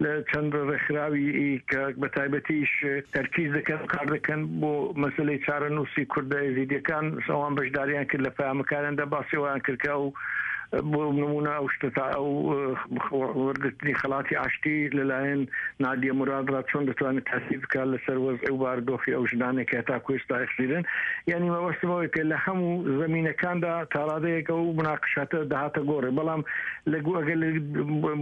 لە چەند ڕێکخراوی کە بە تایبەتیش تەرکیز دەکەن، کار دەکەن بۆ مەسلەی چارەنووسی کوردە ئێزیدیەکان، ئەوان بەشداریان کرد لە پەیامەکانیاندا، باسی ئەویان کرد کە ئەو، بۆ نمونە، ئەو شتە تا ئەو، ئە، وەرگرتنی خەڵاتی ئاشتی لەلایەن نادیە مراد ڕا چۆن دەتوانێت تاثیر بکات لەسەر وەزع و باردۆخی ئەو ژنانێک کە هەتا کوێستا ئەخزیرن. یعنی مەبەستمەوەی کە لە هەموو زەمینەکاندا تاڕادەیەک ئەو مناقشاتە دەهاتە گۆڕێ. بەڵام لە گو-، ئەگەر لە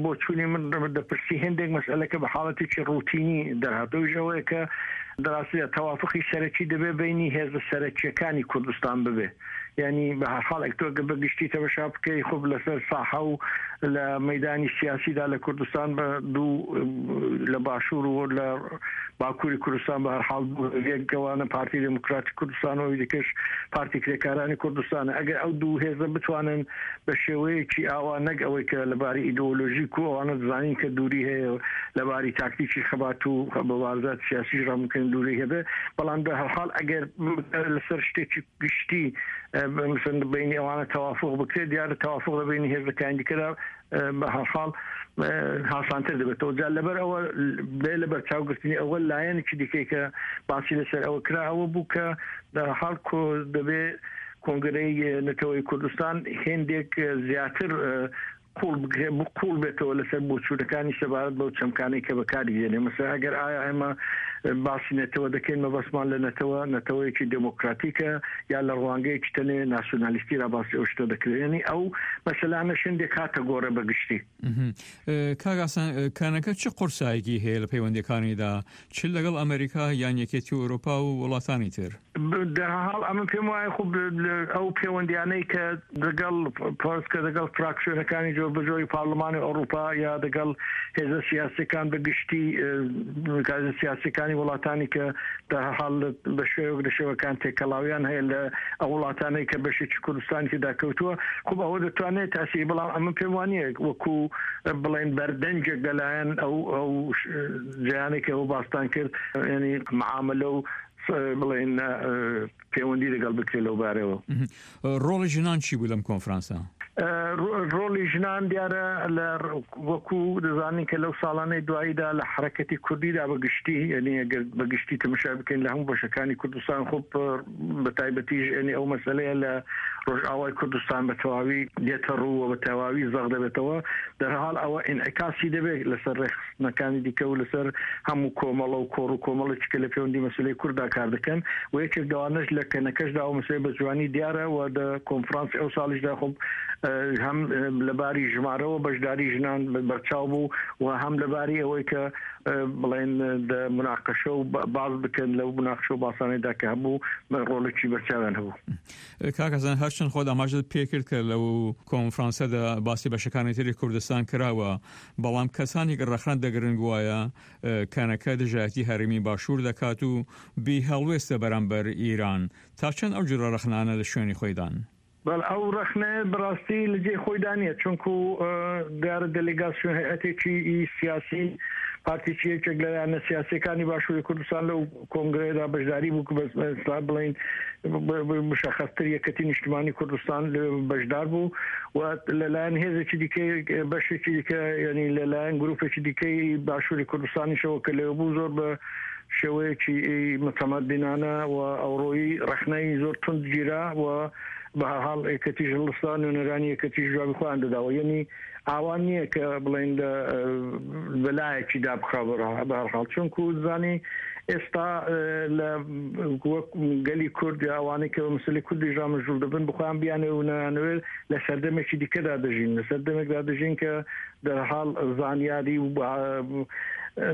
بۆ چوونی من دەپرسی هەندێک مەسئلەکە بە حاڵەتێکی ڕوتینی دەرهاتەوەی ژەوەیە کە دەراستە تەوافقی سەرەکی دەبێ بینی هێزە سەرەکیەکانی کوردستان ببێ. یعنی بە هەر حاڵ ئەک تۆ گە بە گشتی تەمەشا بکەی، خۆ لەسەر ساحە و لە مەدانی سیاسیدا لە کوردستان بە دوو، لە باشوور و لە باکووری کوردستان بە هەر حاڵ دوو هێزێک گەوانە پارتی دموکراتی کوردستان و دیکەش پارتی کرێکارانی کوردستانە. ئەگەر ئەو دوو هێزە بتوانن بە شێوەیەکی ئاوا، نەک ئەوەی کە لەباری ئیدئۆلۆژیک و ئەوانە دەزانین کە دووری هەیە لەباری تاکتیکی خەبات و بە وازات سیاسی ڕامکەن دووری هەبێ، بەڵام بە هەر حاڵ ئەگەر لەسەر شتێکی گشتی، ئە، بە-، مثلاً بینی ئەوانە تەوافق بکرێت، دیارە تەوافق لە بینی هێزەکانی دیکەدا، ئە، بە هەر حاڵ، ئە، هاسانتر دەبێتەوە. جا لەبەر ئەوە بێ لە بەرچاوگرتنی ئەوە لایەنێکی دیکەی کە باسی لەسەر ئەوە کرا، ئەوە بوو کە لە هەر حاڵ کۆ-، دەبێ کۆنگرەی نەتەوەی کوردستان هێندێک، ئە، زیاتر، ئە، قوڵ بگرێ-، قوڵ بێتەوە لەسەر بۆچوونەکانی سەبارەت بەو چەمکانەی کە بەکاری دێنێ. مەسەلەن ئەگەر ئایا ئێمە باسی نەتەوە دەکەین، مەبەستمان لە نەتەوە، نەتەوەیەکی دموکراتیکە یا لە ڕوانگەیەکی تەنێ ناسیۆنالیستی را باسی ئەو شتە دەکرێت؟ یعنی ئەو مەسەلانە شندێک هاتە گۆڕێ بە گشتی. مهم. ئە، کاک حەسەن، ئە، کەنەکە چ قورسایەکی هەیە لە پەیوەندیەکانیدا، چ لەگەڵ ئەمریکا یان یەکێتی ئەوروپا و وڵاتانی تر؟ ب-، دە حاڵ ئەمە پێم وایە خۆ ب-، لە ئەو پەیوەندیانەی کە دەگەڵ پۆرس کە دەگەڵ فراکسیۆنەکانی جۆر بە جۆری پارلمانی ئەوروپا یا دەگەڵ هێزە سیاسیەکان بە گشتی، ئە، هێزە سیاسیەکانی وڵاتانی کە دە حاڵ بە شێوەیەک لە شێوەکان تێکەڵاویان هەیە لە ئەو وڵاتانەی کە بەشێکی کوردستانی تێدا کەوتووە، خۆ ئەوە دەتوانێت تاسی، بەڵام ئەمە پێم وانیە وەکو، ئە، بڵێن بەردەنجێک لەلایەن ئەو، ئەو ش-، جیانێک ئەو باستان کرد، یعنی معاملە و س-، بڵێن، ئە، پەیوەندی لەگەڵ بکرێت لەو بارەوە. مهم. ڕۆڵی ژنان چی بوو لەم کۆنفرانسە؟ ڕۆ-، ڕۆڵی ژنان دیارە لە ڕ-، وەکو دەزانین کە لەو ساڵانەی دواییدا لە حرەکەتی کوردیدا بە گشتی، یعنی ئەگەر بە گشتی تەمەشا بکەین لە هەموو بەشەکانی کوردستان، خۆ بە تایبەتیش، یعنی ئەو مەسەلەیە لە ڕۆژئاوای کوردستان بە تەواوی دێتە ڕوو و بە تەواوی زەق دەبێتەوە. دەرحاڵ ئەوە ئینعکاسی دەبێت لەسەر ڕێکخستنەکانی دیکە و لەسەر هەموو کۆمەڵە و کۆڕ و کۆمەڵێکی کە لە پەیوەندی مەسلەی کورددا کار دەکەن. و یەکێک دەوانەش لە کەنەکەشدا ئەو مەسلەی بە جوانی دیارە و دە کۆنفرانسی ئەو ساڵیشدا خۆ، ئە، هەم، ئە، لە باری ژمارەوە بەشداری ژنان بە-، بەرچاو بوو و هەم لە باری ئەوەی کە، ئە، بڵێن، ئە، دە مناقەشە و بە-، باز بکەن لەو مناقەشە و باسانەیدا کە هەبوو، ڕۆڵێکی بەرچاویان هەبوو. کاک حەسەن، هەرچەند خۆت ئاماژەت پێ کرد کە لەو کۆنفرانسەدا باسی بەشەکانی تری کوردستان کراوە، بەڵام کەسانی کە ڕەخنە دەگرن گوایە، ئە، کەنەکە دژایەتی هەرێمی باشوور دەکات و بی هەڵوێستە بەرامبەر ئیران. تا چەند ئەو جورە ڕەخنانە لە شوێنی خۆیدان؟ بەڵ ئەو ڕەخنە بەڕاستی لە جێ خۆیدا نییە، چونکو، ئە، دیارە دەلێگاسیۆن هەیئەتێکی ئی سیاسی، پارتیی یەکێک لە لایەنە سیاسیەکانی باشووری کوردستان لەو کۆنگرەیەدا بەشداری بوو، کە بەس-، بەس-، بڵین، ب-، ب-، مشەخەستر یەکێتی نیشتمانی کوردستان لە بەشدار بوو و لەلایەن هێزێکی دیکەی، بەشێکی دیکە، یعنی لەلایەن گروپێکی دیکەی باشووری کوردستانیشەوە کە لێوە بوو، زۆر بە شێوەیەکی متەمەدینانە و ئەوڕۆیی ڕەخنەی زۆر تند گیرا و بە هەر حاڵ یەکێتی ژنان و نوێنەرانی یەکێتی جوابی خۆیان دەداوە. یعنی ئاوا نییە کە بڵێن لە، ئە، بەلایەکی دابخا بە هەر حاڵ. چونکو زانی ئێستا، ئە، لە وەک گەلی کورد یا ئەوانەی کە بە مەسەلەی کوردی ژامەژوول دەبن، بخۆیان بیانەوێ و نەیانەوێت لە سەردەمێکی دیکەدا دەژین. لە سەردەمێکدا دەژین کە دەرحاڵ زانیاری و با-،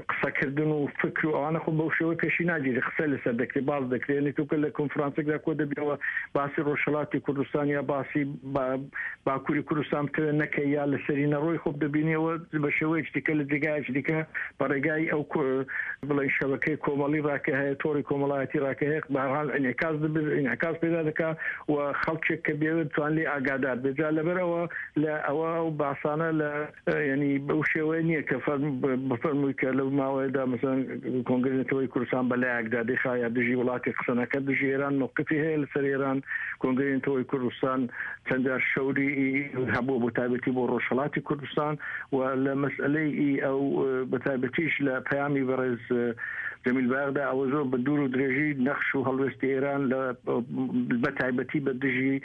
قسەکردن و فکر و ئەوانە خۆ بەو شێوەی پێشی ناگیری، قسە لەسەر دەکرێت، باز دەکرێت. یعنی تۆ کە لە کۆنفرانسێکدا کۆ دەبیەوە باسی ڕۆژهەڵاتی کوردستان یا باسی با-، باکووری کوردستان بکەوێت نەکە یا لەسەری نەڕۆی خۆ دەبینیەوە بە شێوەیەکی دیکە لە جێگایەکی دیکە بە ڕێگای ئەو کۆ-، بڵێ شەبەکەی کۆمەڵی ڕاکە هەیە، تۆڕی کۆمەڵایەتی ڕاکە هەیە، بە هەر حاڵ ئینعکاس دەبێت، ئینعکاس پێدا دەکات و خەڵکێک کە بێوێت توان لێ ئاگادار بێت. جا لەبەر ئەوە لە ئەوە ئەو باسانە لە، ئە، یعنی بەو شێوەیە نییە کە فەرم-، ب-، بفەرمووی کە لەو ماوەیەدا مەسەلەن کۆنگرەی نەتەوەی کوردستان بە لایەکدا دەیخا یا دژی وڵاتی قسە نەکە، دژی ئێران مەوقفی هەیە لەسەر ئێران. کۆنگرەی نەتەوەی کوردستان چەند جار شەوری هەبووە بۆ تایبەتی بۆ ڕۆژهەڵاتی کوردستان و لە مەسئلەی ئەو، ئە، بە تایبەتیش لە پەیامی بەڕێز، ئە، جەمیل بایەغدا ئەوە زۆر بە دوور و درێژی نەخش و هەڵوێستی ئێران لە، بە تایبەتی بە دژی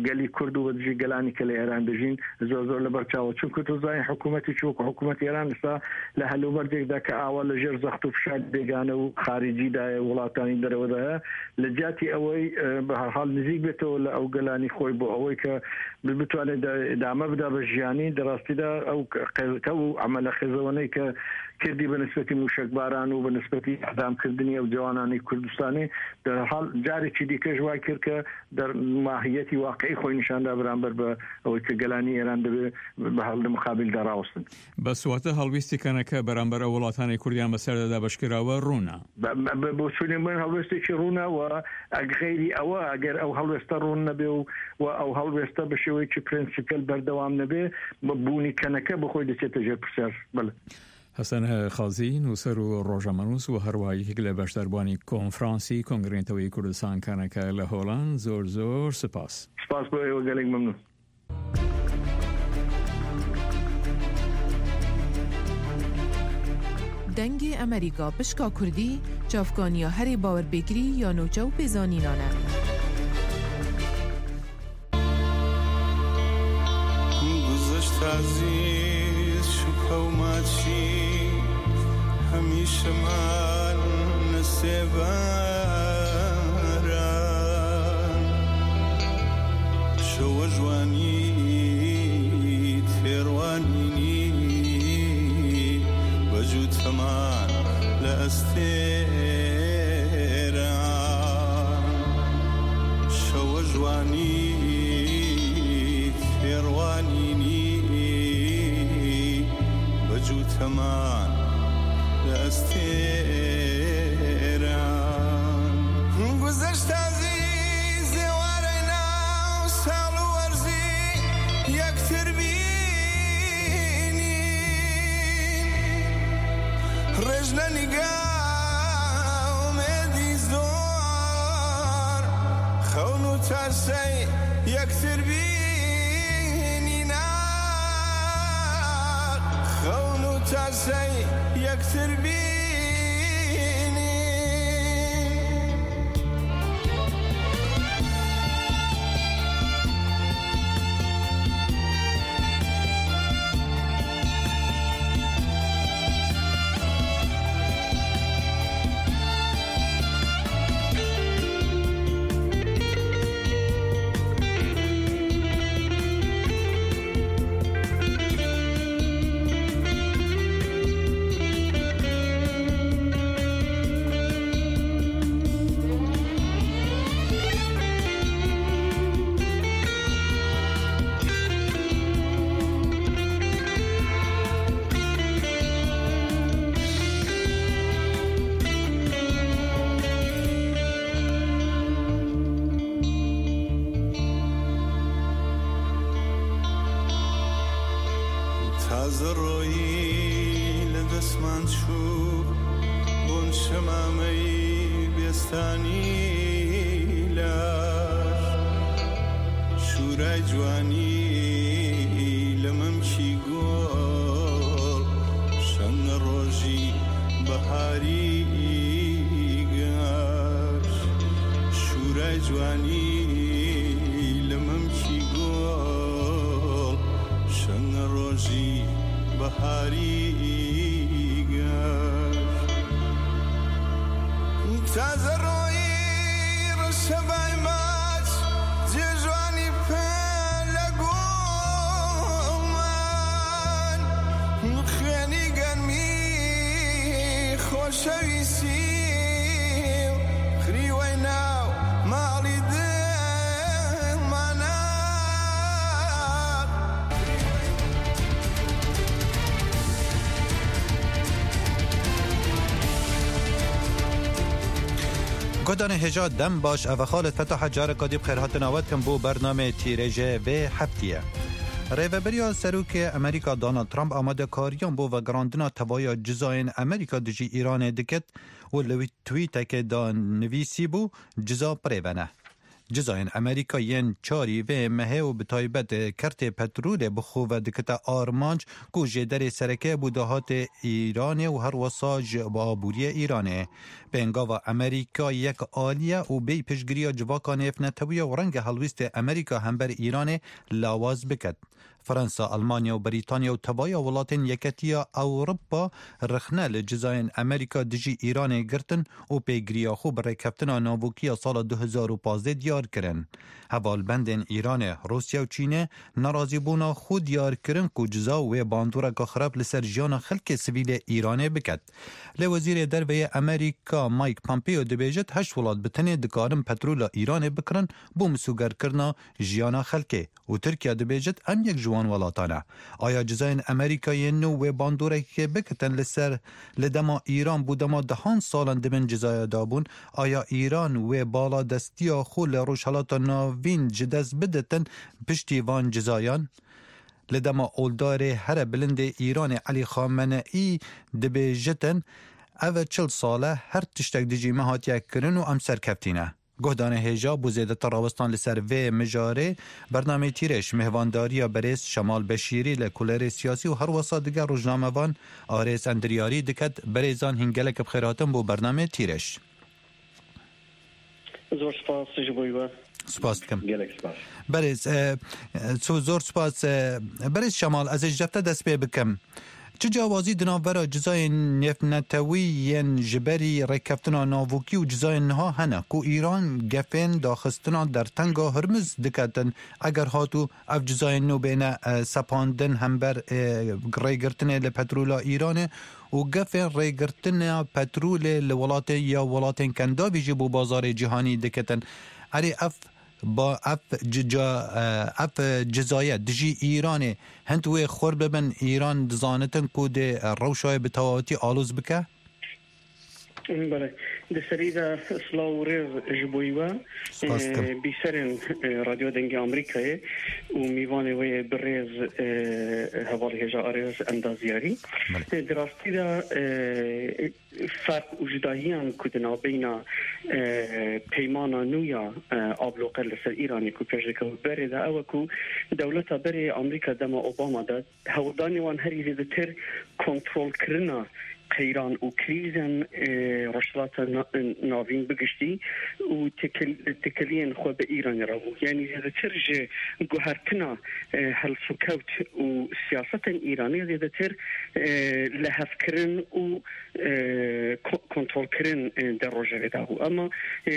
گەلی کورد و بە دژی گەلانی کە لە ئێران دەژین زۆر زۆر لە بەرچاوە. چونکە تۆ زانین حکوومەتێکی وەکو حکوومەتی ئێران ئێستا لە هەلوبەردێکدا کە ئاوا لە ژێر زەخت و فشار بێگانە و خارجیدایە، وڵاتانی دەرەوەدایە، لە جیاتی ئەوەی، ئە، بە هەر حاڵ نزیک بێتەوە لە ئەو گەلانی خۆی بۆ ئەوەی کە ب-، بتوانێت دا-، دامە بدا بە ژیانی. دەڕاستیدا ئەو ق-، قێزەکە و عملە خێزەوەنەی کە کردی بە نسبەتی موشەکباران و بە نسبەتی ئەدامکردنی ئەو جوانانی کوردستانی، دەرحاڵ جارێکی دیکەش وای کرد کە دەر ماهیەتی واقعی خۆی نیشاندا بەرامبەر بە ئەوەی کە گەلانی ئێران دەبێ بە هەڵ لە مقابلدا ڕاوەستن. بە سواتە هەڵویستی کەنەکە بەرامبەر ئەو وڵاتانی کوردیان بەسەردا دابەشکراوە ڕوونە. بە، بە، بە بۆچوونی من هەڵوێستێکی ڕوونە و ئەگ غەیری ئەوە، ئەگەر ئەو هەڵوێستە ڕوون نەبێ و، و ئەو هەڵوێستە بە شێوەیەکی پرەنسیپیەل بەردەوام نەبێ، بە بوونی کەنەکە بە خۆی دەچێتە ژێر پرسیار. بەڵێ. حەسەن خازی، نووسەر و ڕۆژنامەنووس و هەروەها یەکێک لە بەشداربووانی کۆنفرانسی کۆنگرەی نەتەوەی کوردستان کەنەکە لە هۆڵاند، زۆر زۆر سپاس. سپاس بۆ ئێوە، گەلێک مەمنون. دەنگی ئەمریکا پشکا کوردی، چاڤکانیا هەرێ باورپێکری یا نوچە و پێزانینانە. گوزەشت عەزیز شوکە و ماچی، هەمیشەمان نەسێبەرە. شەوە جوانی تێڕوانینی، بە جووتەمان لە ئەستێرە. شەوە جوانی تێڕوانینی، بە جووتەمان لە ئەستێرە. گوزەشت عەزیز زێوارەی ناو ساڵ و وەرزی یەکتر بینین. ڕێژ لە نیگا ئومێدی زۆر، خەون و تەرسەی یەکتر بینین. Sey yektir bînî. Taze royî li destman çû, bûn şemameyî bêstanî laş. Şûray ciwanî li mimkî gol, şeng rojî biharî gaş. Şûray ciwanî li mimkî gol, şeng rojî biharî gaş. Taze royî reşebay maç, cê ciwanî pele guman, xênî germî xoşewîsî û xirî wey nav malî dimana. Guhdarên hêja dem baş, ev e Xalid Fetaha, careka dî bi xêrhatina we dikim bo bernameyê Tîrêjê vê heftiyê. Rêveberiya Serokê Amerîka Donald Trump amadekariyan bo vegerandina tevaya cizayên Amerîka dijî Îranê dikit û li wî twîtekê de nivîsîbû, ciza bi rê ve ne. Cizayên Amerîka yên çarî vê mehê û bi taybet kertê petrolê bi xwe ve dikite armanc ku jêderê sereke bû dahatê Îranê û her wesa ji aboriyê Îranê. Pêngava Amerîka yek alî ye û bêyî piştgiriya civaka nêvnetewî ye û renge helwîstê Amerîka hember Îranê lawaz biket. Fransa, Almanya û Brîtanya û tevaya welatên Yeketiya Ewropa rexne li cizayên Amerîka dijî Îranê girtin û pêgiriya xwe bi rêkeftina navokî ya sala du hezar û pazdeh diyar kirin. Hevalbendên Îranê, Rûsya û Çînê nerazîbûna xwe diyar kirin ku ciza wê bandoreka xirab li ser jiyana xelkê sivîlê Îranê biket. Lê Wezîrê Derve yê Amerîka Mike Pompeo dibêjit, heşt welat bi tenê dikarin petrola Îranê bikirin bo misûgerkirina jiyana xelkê. Û Tirkiye dibêjit, em yek ji wan welatan e. Aya cizayên Amerîkayê nû wê bandoreke bikitin li ser, li dema Îran bû dema dehan salan di bin cizaya de bûn? Aya Îran wê baladestiya xwe li Rojhelata Navîn ji dest biditin piştî van cizayan? Li dema oldarê here bilindê Îranê Elî Xameneî dibêjitin, ev e çil sal e her tiştek dijî me hatiye kirin û em serkeftî ne. Guhdarên hêja, bo zêdetir rawestan li ser vê mijarê, bernameyê Tîrêj mêhvandariya berêz Şemal Beşîrî, lêkolênê siyasî û herwesa diger rojnamevan Arêz Endiryarî diket. Berêzan, hîn gelek bi xêr hatin bo bernameyê Tîrêj. Zor spas ji bo we. Spas dikim. Gelek spas. Berêz, e, e, zor spas, e, berêz Şemal, ez ê ji te dest pê bikim. Çi ciyawazî di navbera cizayên nêvnetewî yên ji berî rêkeftina navokî û cizayên niha hene ku Îran gefên daxistina dertenga Hurmuz diketin? Eger hatû ev cizayên nû bêne, e, sepandin hember, e, rêgirtinê li petrola Îranê û gefên rêgirtina petrolê li welatê ya welatên Kendavî jî bo bazarê cîhanî diketin. Erê, ev ba ev cica, ev cizaye dijî Îranê hind wê xurt bibin, Îran dizanitin ku dê rewşa wê bi tewawetî aloz bike? Belê. Di serî de silav û rêz ji bo we, Spas dikim. Bîserên, e, Radyo Dengê Amerîkayê û mîvanê wê bi rêz, e, hevalê hêja Arêz Endaziyarî. Belê. E, di rastî de, e, ferq û cudahiyan ku di navbeyna, e, peymana nû ya, e, abloqe li ser Îranê ku pêş dikeve berê de, ew e ku dewleta berê Amerîka dema Obama de hewldanê wan herî zêdetir kontrolkirina qeyran û krîzên, e, Rojhilata Na-, Navîn bi giştî û tekel-, tekeliyên xwe bi Îranê re bû. Yanî zêdetir ji guhertina, e, helsûkewt û siyasetên Îranê zêdetir, e, lihevkirin û, e, ko-, kontrolkirin, e, di rojevê de bû. Ema, e,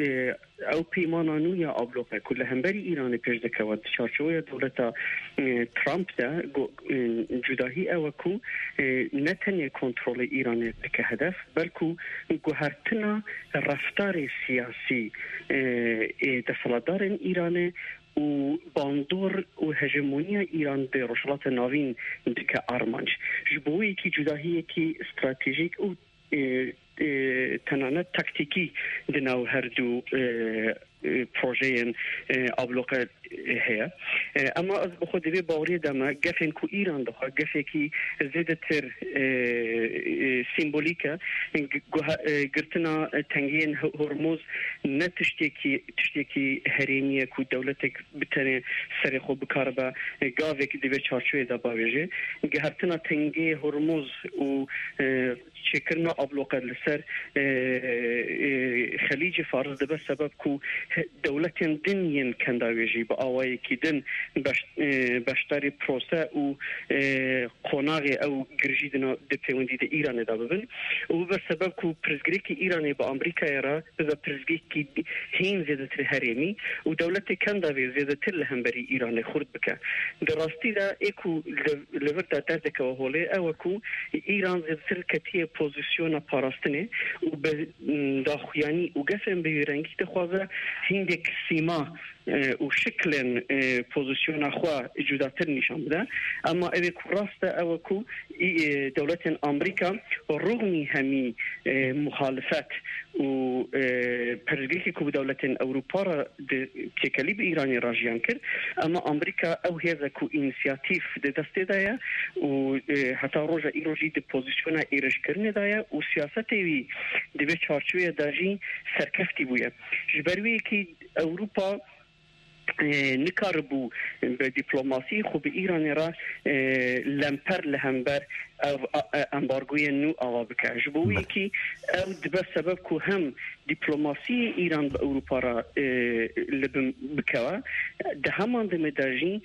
e, Ew peymana nû ya abloqe ku li hemberî Îranê pêş dikeve di çarçoweya dewleta, e, Trump de, go-, e, cudahî ew e ku, e, ne tenê kontrolê Îranê dike hedef, belku guhertina reftarê siyasî, e, ê desthilatdarên Îranê û bandor û hejemoniya Îran di Rojhilata Navîn dike armanc. Ji bo wê yekî cudahiyekî stratejîk û e, e, tenanet taktîkî di nav her du, e, e, projeyên, e, abloqe, e, heye. E, ema ez bi xwe di vê baweriyê de me, gefên ku Îran dixwe, gefekî zêdetir, e, e, sîmbolîk e. G-, guha-, e, girtina tengiyên Ho-, Hormuz ne tiştekî, tiştekî herêmî ye ku dewletek bi tenê serê xwe bikaribe, e, gavek di vê çarçoyê de bavêje. Gihertina tengiyê Hormuz û, e, çêkirina abloqe li ser, e, e, Xelîcê Faris dibe sebeb ku he-, dewletên din yên kendavêjî bi awayekî din beş-, e, beşdarî prose û, e, qonaxê ew girjî di nav, di pêwendî di Îranê de bibin û bibe sebeb ku pirsgirêkî Îranê bi Amerîkayê re bibe pirsgirêkî hîn zêdetir herêmî û dewletê kendavê zêdetir li hemberî Îranê xurt bike. Di rastî de ê ku li, li vir de derdikeve holê ew e ku Îran zêdetir ketiye pozîsyona parastinê û bi, m, daxuyanî û gefên bi wî rengî dixwaze hîndek sîma, e, û şiklên, e, pozîsyona xwe cudatir nîşan bide. Ema ew ê ku rast e ew e ku î-, e, dewletên Amerîka rûnî hemî, e, muxalifet û, e, pirsgirêkê ku bi dewletên Ewropa re di têkelî bi Îranê re jiyan kir. Ema Amerîka ew hêz e ku înîsiyatîf di destê de ye û, e, heta roja îro jî di pozîsyona êrişkirinê de ye û siyasetê wî di vê çarçoyê de jî serkeftî bûye. Ji ber wê yekî Ewropa, e, nikaribû bi dîplomasî xwe bi Îranê re, e, lemper li hember ev, a, e, embargoyên nû ava bike. Ji bo wê Belê. yekî ew dibe sebeb ku hem dîplomasiyê Îran bi Ewropa re, e, li bin bikeve. Di heman demê de jî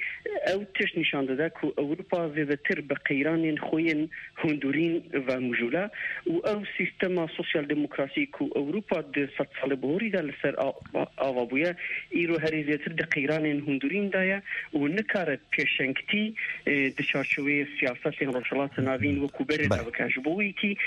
ew tişt nîşan dide ku Ewropa zêdetir bi qeyranên xwe yên hundirîn ve mijûl e û ew sîstema sosyal demokrasî ku Ewropa di sedsalê bihorî de li ser a-, ava bûye, îro herî zêdetir di qeyranên hundirîn de ye û nikare pêşengtî, e, di çarçoveyê siyasetên Rojhilata Navîn wekû berê de Belê. bike. Ji bo wî kî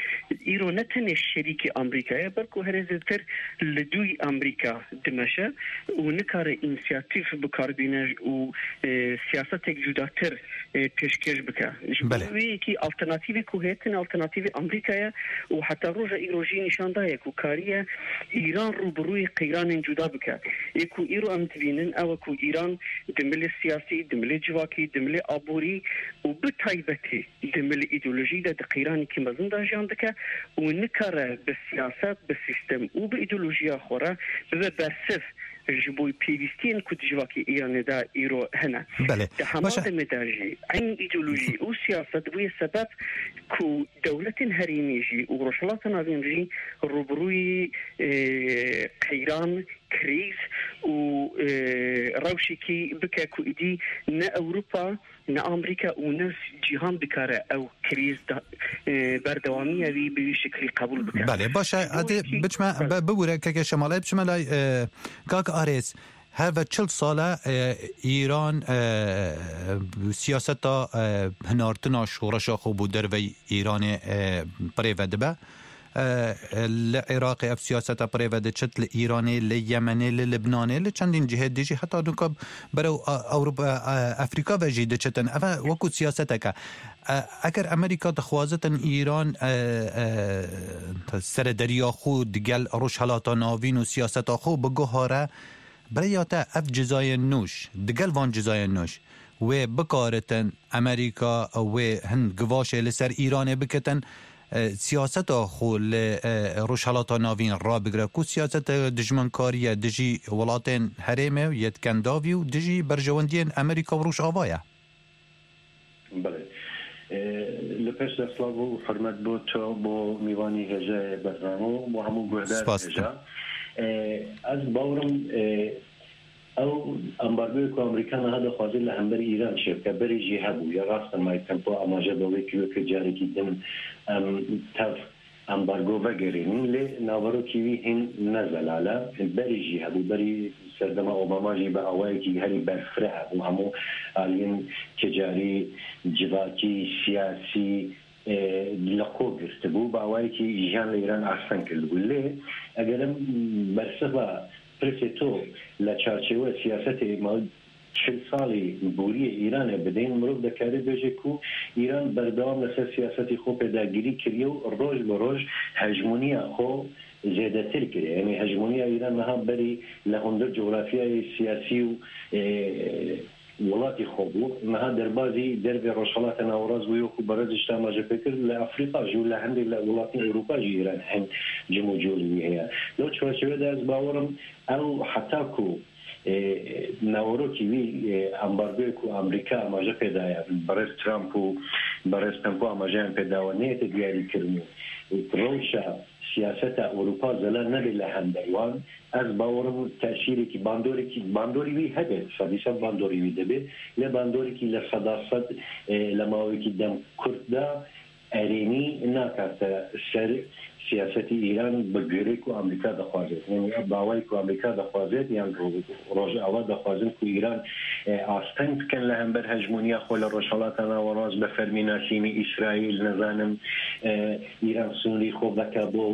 îro ne tenê şerîkî Amerîka ye, belku herî zêdetir li dûyî Amerîka dimeşe û nikare înîsiyatîf bi kar bîne û, e, siyasetek cudatir, e, pêşkêş bike. Ji bo Belê. wê yekî alternatîvê ku heye, tenê alternatîvê Amerîka ye û heta roja îro jî nîşan daye ku kariye Îran rûbirûyê qeyranên cuda bike. Ê ku îro em dibînin, ew e ku Îran di milê siyasî, di milê civakî, di milê aborî û bi taybetî di milê îdeolojî de di qeyranekî mezin de jiyan dike û nikare bi siyaset, bi sîstem û bi îdeolojiya xwe re bibe bersiv ji bo pêwîstiyên ku di civakê Îranê de îro hene. Belê. Di hema Baş e. demê de jî eynî îdeolojî û siyaset bûye sebeb ku dewletên herêmî jî û Rojhilata Navîn jî rûbirûyî, e, qeyran, krîz û, e, rewşekî bike ku îdî ne Ewropa, ne Amerîka û ne cîhan dikare ew krîz da, e, berdewamiya wî bi wî şeklî qebûl bike. Belê, baş e, Ji bo hadi yekî biçme, Belê. be-, bibûre, keke Şemalê, biçme lay, e, kak Arêz. Her ve çil sal e, e, Îran, e, siyaseta, e, hinartina şoreşa xwe bo dervey Îranê, e, birêve dibe. E, e, li Iraqê ev siyaseta birêve diçit, li Îranê, li Yemenê, li Libnanê, li çendîn cihê dijî heta nuka berew, a, Ewropa, a, Afrîka ve jî diçitin. Ev e wekû siyaseteke. E, eger Amerîka dixwazitin Îran, e, e, serederiya xwe digel Rojhelata Navîn û siyaseta xwe biguhare, bi rêya te ev cizayên nû, digel van cizayên nû, wê bikaritin Amerîka wê hin givaşê li ser Îranê bikitin, e, siyaseta xwe li, e, Rojhelata Navîn rabigire, ku siyaseta dijminkarî ye dijî welatên herêmê û yê kendavî û dijî berjewendiyên Amerîka û Rojava ye. Belê. Li pêş de silav û hurmet bo to, bo mîvanî hêjayê bername û bo hemû guhdar Spas dikim. Hêja. Ez bawerim, ew ambargoyê ku Amerîka niha dixwaze li hember Îran çêbike, berê jî hebû. Ya rast e, Mike Pompeo amaje bi wê kiriyo ku carekî din em tev ambargo vegerînin, lê naverokî wî hîn ne zelal e. Berî jî hebû, berî serdema Obama jî bi awayekî herî berfireh hebû. Hemû aliyên ticarî, civakî, siyasî, e, li xwe girtibû, bi awayekî jiyan li Îran asteng kirdibû. Lê eger em bersiva pirsê to li çarçewe siyasetê ma çil salî boriyê Îranê bidin, mirov dikare bêje ku Îran berdewam li ser siyasetê xwe pêdagirî kiriye û roj bi roj hejmoniya xwe zêdetir kiriye. Yanî hejmoniya Îran niha berî li hundir cografyayê siyasî û, e, welatî xwe bû. Niha derbazî dervê Rojhilata Nawerast bû, wekî berez ji te amaje pê kir, li Afrîka jî û li hindê li welatên Ewropa jî Îran hin cim û cûlî wî heye. Li çarçewe de ez bawerim ew heta ku, e, naverokî wî, e, ambargoyê ku Amerîka amaje pê daye, berez Trump û berez Pompeo amajeyan pê dawe neyête diyarî kirin û rewşa siyaseta Ewropa zelal nebe li hember wan, ez bawerim tesîrekî, bandorekî, bandorî wî hebe, sedî sed bandorî wî dibe, lê bandorekî li seda sed, e, li mawekî dem kurt de erênî nakate ser siyasetî Îran bi girê ku Amerîka dixwaze. Yanî ev bawayî ku Amerîka dixwaze, yan Ro-, Rojava dixwazin ku Îran, e, asteng bikin li hember hejmoniya xwe li Rojhilata Nawerast, bi fermî nasînî Îsraîl, nizanim, e, Îran sînorî xwe veke bo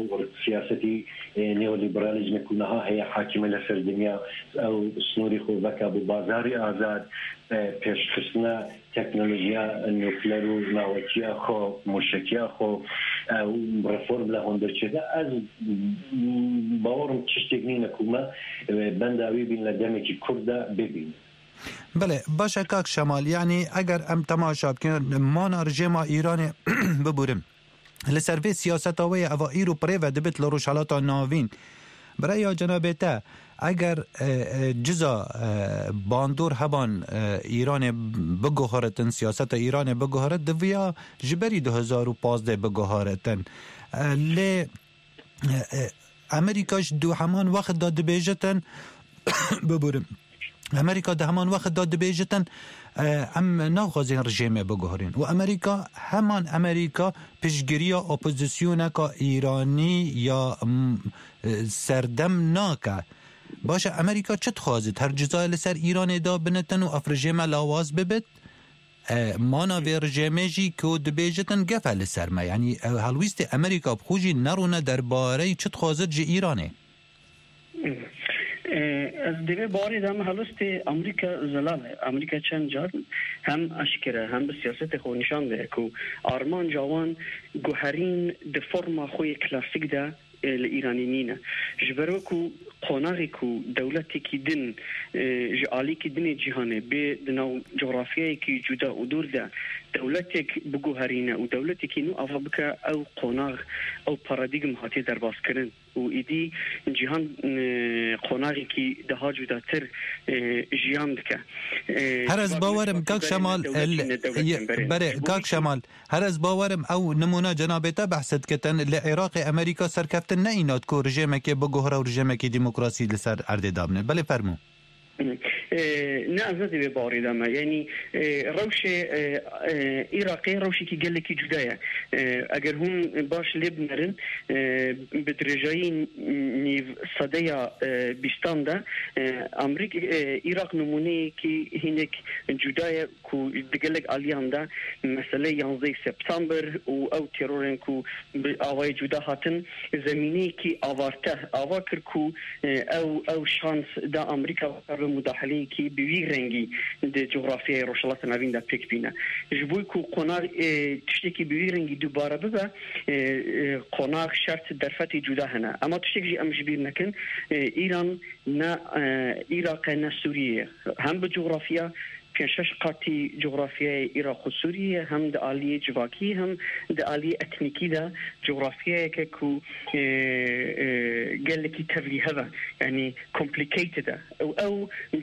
siyasetî, e, neoliberalîzmê ku niha heye hakime li ser dinya, ew sînorî xwe veke bo bazarê azad, e, pêşxistina teknolojiya nukleer û nawekiya xwe, mûşekiya xwe, e, û reform li hundir çêke. Ez, m, bawerim tiştek nîne ku me, e, benda wî bîn li demekî kurt de bibînin. Belê, baş e kak Şemal, yanî eger em temaşa bikin, mana rejêma Îranê biburim. Li ser vê siyaseta wê ye, eva îro bi rê ve dibit li Rojhilata Navîn. Bi raya cenabê te, eger, e, e, ciza, e, bandor heban, e, Îranê biguheritin, siyaseta Îranê biguherit, diviya ji berî du hezar û pazdeh biguheritin. E, lê, e, e, Amerîka ji du heman wext de dibêjitin, biburim. Amerîka di heman wext de dibêjitin, e, em naxwazin rejêmê biguherîn. Û Amerîka, heman Amerîka piştgiriya opozisyoneka Îranî ya, m, e, serdem nake. Baş e, Amerîka çi dixwazit? Her cizayê li ser Îranê da binitin û ev rejême lawaz bibit? E, mana vê rejêmê jî ku dibêjitin gef e li ser me. Yanî, e, helwîstê Amerîka bi xwe jî nerûne derbareyî çi dixwazit ji Îranê? E, ez di vê barê de me helwestê Amerîka zelal e. Amerîka çend car hem eşkere hem bi siyasetê xwe nîşan daye ku armanca wan guherîn di forma xwe yê klasîk de, e, li Îranê nîne. Ji ber wekî qonaxê ku dewletekî din, e, ji alîkî dinê cîhanê bê di nav cografyayekî cuda û dûr de dewletek biguherîne û dewletekî nû ava bike, ew qonax, ew paradîgm hatiye derbazkirin. Û êdî cîhan, e, qonaxekî daha cudatir, e, jiyan dike. E, Her ez bawerim, kak Şemal, berê, e, berê, kak Şemal, her ez bawerim ew nimûna cenabê te behs dikitin, li Iraqê Amerîka serkeftin neyînat ku rejêmekê biguhere û rejêmekî demokrasî li ser erdê dabine. Belê, fermû. E, ne, ez ne di vê barê de me. Yanî, e, rewşê, e, e, Iraqê rewşekî gelekî cuda ye. E, eger hûn baş lê binerin, e, bi dirêjayî nîv sedeya, e, bîstan de, e, Amerîk-, e, Iraq nimûneyekî hinek cuda ye ku di gelek aliyan de mesele yanzdeh September û ew terorên ku bi awayê cuda hatin, zemîneyekî avarte ava kir ku, e, ew, ew şans da Amerîka kar bi mudaheleyekî bi wî rengî di cografyayê Rojhilata Navîn de pêk bîne. Ji bo ku qonax, e, tiştekî bi wî rengî dubare bibe, e, e, qonax, şert, derfetê cuda hene. Ema tiştek jî em ji bîr nekin, e, Îran ne, e, Iraq e, ne Sûriye ye. Hem bi cografya, pênc şeş qatî cografyayê Iraq û Sûriyê, hem di aliyê civakî hem di aliyê etnîkî de cografyayeke ku, e, e, gelekî tevlîhev e, yanî complicated e. Ew, ew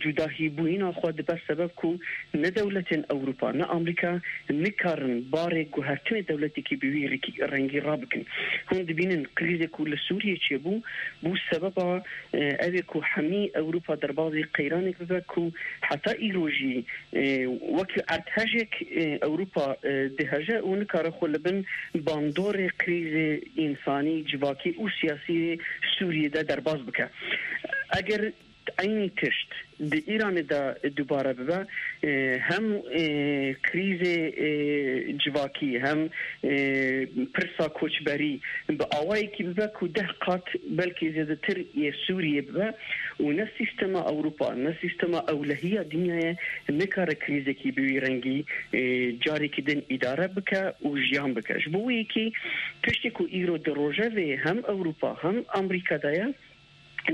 cudahîbûyîna xwe dibe sebeb ku ne dewletên Ewropa ne Amerîka nikarin barê guhertinê dewletekî bi wî rikî-, rengî rabikin. Hûn dibînin krîzê ku li Sûriyê çêbû, bû sebeba, e, ev ê ku hemî Ewropa derbazî qeyranek bibe ku heta îro jî, e, wekî erdhejek, e, Ewropa, e, diheje û nikare xwe li bin bandorê krîzê însanî, civakî û siyasî yê Sûriyê de derbas bike. Eger eynî tişt di Îranê de dubare bibe, e, hem, e, krîzê, e, civakî, hem, e, pirsa koçberî bi awayekî bibe ku deh qat belkî zêdetir yê Sûriyê bibe û ne sîstema Ewropa, ne sîstema ewlehiya dinyayê nikare krîzekî bi wî rengî, e, carekî din îdare bike û jiyan bike. Ji bo wê yekê tiştê ku îro di rojevê hem Ewropa hem Amerîka de ye,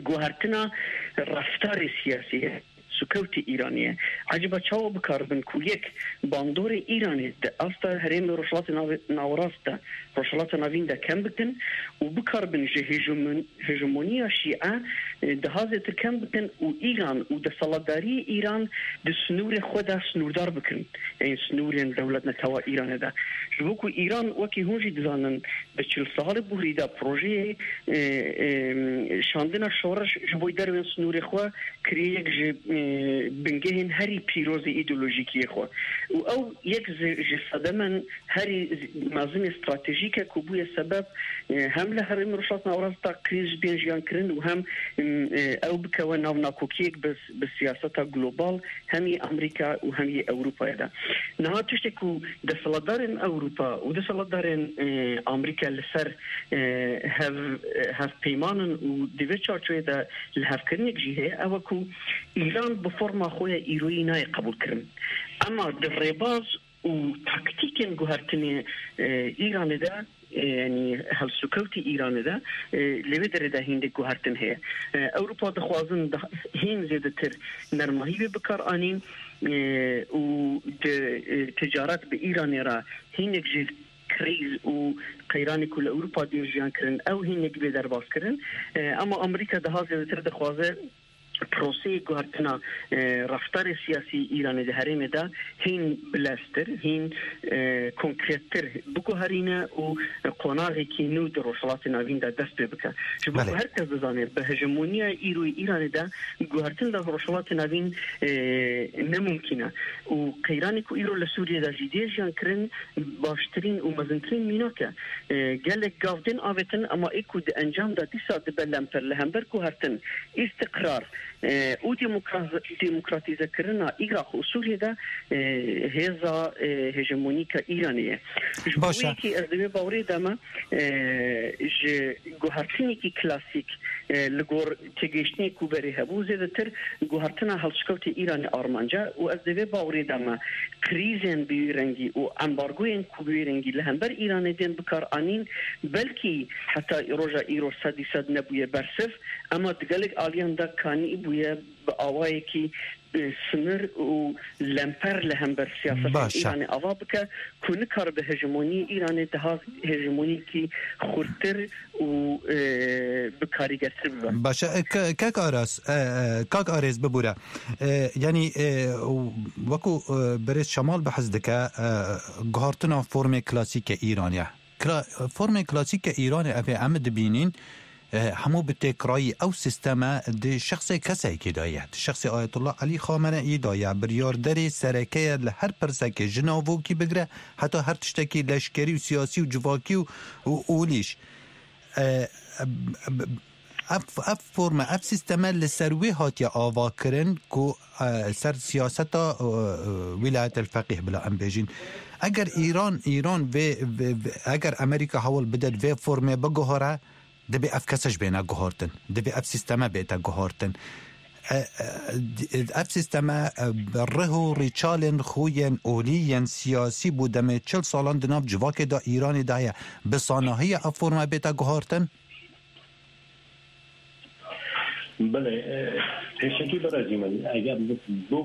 guhertina reftarê siyasî ye, sukewtê Îranê ye. Eciba çawa bikaribin ku yek bandorê Îranê di asta herêmê Rojhilatê Nav-, Nawerast de, Rojhilata Navîn de kem bikin û bikaribin ji hejemon-, hejemoniya Şîe, e, daha zêtir kem bikin û Îran û desthilatdariyê Îran di sinûrê xwe de sinûrdar bikin, ên sinûrên dewletnetewa Îranê de. Ji bo ku Îran, wekî hûn jî dizanin, di çil salê borî de projeyê, e, e, şandina şoreş ji bo dervên sinûrê xwe kiriye yek ji, e, bingehên herî pîroz ê îdeolojîkiyê xwe. Û ew yek ji, ji sedemen herî mezin ê stratejîk e ku bûye sebeb, e, hem li herêmê Rojhilat Nawerast de krîz bên jiyan kirin û hem, e, ew bikewe nav nakokiyek bi, bi siyaseta global hem yê Amerîka û hem yê Ewropayê de. Niha tiştê ku desthilatdarên Ewropa û desthilatdarên, e, Amerîka li ser, e, hev, e, hevpeyman in û di vê çarçovê de lihevkirinek jî heye, ew e ku Îran bi forma xwe ya îroyî nayê qebûlkirin. Ema di rêbaz û taktîkên guhertinê, e, Îranê de, e, yanî helsûkewtî Îranê de, e, li vê derê de hîndek guhertin heye. E, Ewropa dixwazin da-, hîn zêdetir nermahî wê bikar anîn, e, û di, e, ticaret bi Îranê re hînek ji krîz û qeyranê ku li Ewropa dê jiyan kirin, ew hînek bê derbas kirin. E, ema Amerîka daha zêdetir dixwaze proseyê guhertina, e, reftarê siyasî Îranê di herêmê de hîn bileztir, hîn, e, konkrettir biguherîne û qonaxekî nû di Rojhilatê Navîn de dest pê bike. Ji bo Belê. ku her kes dizane, bi hejemoniya îroyê Îranê de guhertin li Rojhilatê Navîn, e, ne mumkîn e. Û qeyranê ku îro li Sûriyê de jî dê jiyan kirin, baştirîn û mezintirîn mînak e. E, gelek gav tên avêtin, ema ê ku di encam de dîsa dibe lemper li hember guhertin, îstiqrar, e, û demokra-, demokratîzekirina Iraq û Sûriyê de, e, hêza, e, hejemonîk a Îranê ye. Ji bo Baş e. wê yekê ez di vê bawerê de me, e, ji guhertinekî klasîk, e, li gor têgihiştinê ku berê hebû, zêdetir guhertina hewlşikewtê Îranê armanc e û ez di vê bawerê de me krîzên bi wî rengî û embargoyên ku bi wî rengî li hember Îranê tên bikar anîn, belkî heta roja îro sedî sed nebûye bersiv, ema di gelek aliyan de kanî bûye bi awayekî, e, sinir û lemper li hember siyaseta Baş e. Îranê ava bike, ku nikaribe hejemoniyê Îranê daha hejemoniyekî xurttir û, e, bi karîgertir bibe. Baş e, e, ke-, kek Aras, e, e, kak Arêz bibûre. E, yanî, e, wekû, e, birêz Şemal behs dike, e, guhartina formê klasîk e Îranê. Kla-, formê klasîk e Îranê ev ê em dibînin, e, hemû bi têkrayî ew sîsteme di şexsê kesekî de ye. Di şexsê Ayetullah Elî Xameneî de ye. Biryarderê sereke ye li her pirsekê ji navokî bigire heta her tiştekî leşkerî û siyasî û civakî û, û olîş. E, e, ev, ev forme, ev sîsteme li ser wê hatiye avakirin ku, e, ser siyaseta, e, e, Wîlayetel Feqîh bila em bêjin. Eger Îran, Îran vê, vê, vê, eger Amerîka hewl bide vê formê biguhore, dibê ev kese ji bêne guhartin. Dibê ev sîsteme bête guhartin. E, e, ev sîsteme, e, rih û rîçalên xwe yên olî yên siyasî bû demê çil salan di nav civakê de Îranê de ye. Bi sanahiya ev forme bête guhartin? Belê, e, pêşekî berezî min, eger bi, bi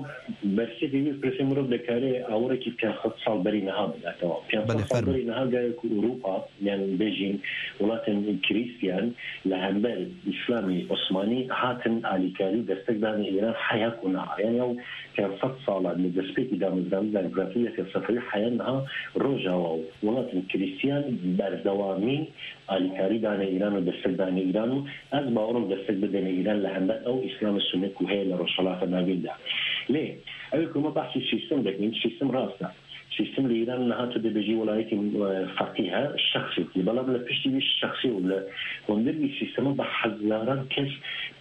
bersivê wî pirsê mirov dikare awirekî pênc sed sal berî niha bide, temam. Pênc sed Belê, sal fermo. berî niha gere ku Ewropa, yani bêjin welatên Krîstiyan li hember Îslamê Osmanî hatin alîkarî û destek dane Îran heya ku niha. Yani ew pênc sed sala li destpêkî damezrandina împaratoriyeta Sefewî heya niha Rojava û welatên Krîstiyan berdewamî alîkarî dane Îran û destek dane Îran û ez bawerim destek bidene Îran li hember ew Îslamê Sunne ku heye li Rojhilata Navîn de. Lê ew ku me behsî sîstem dikin, sîstem rast e. Sîstem li Îran niha tu dibêjî welayetî, e, feqîh e, şexsekî. Belam li piştî wî şexsê û li hundir wî sîstemê bi hezaran kes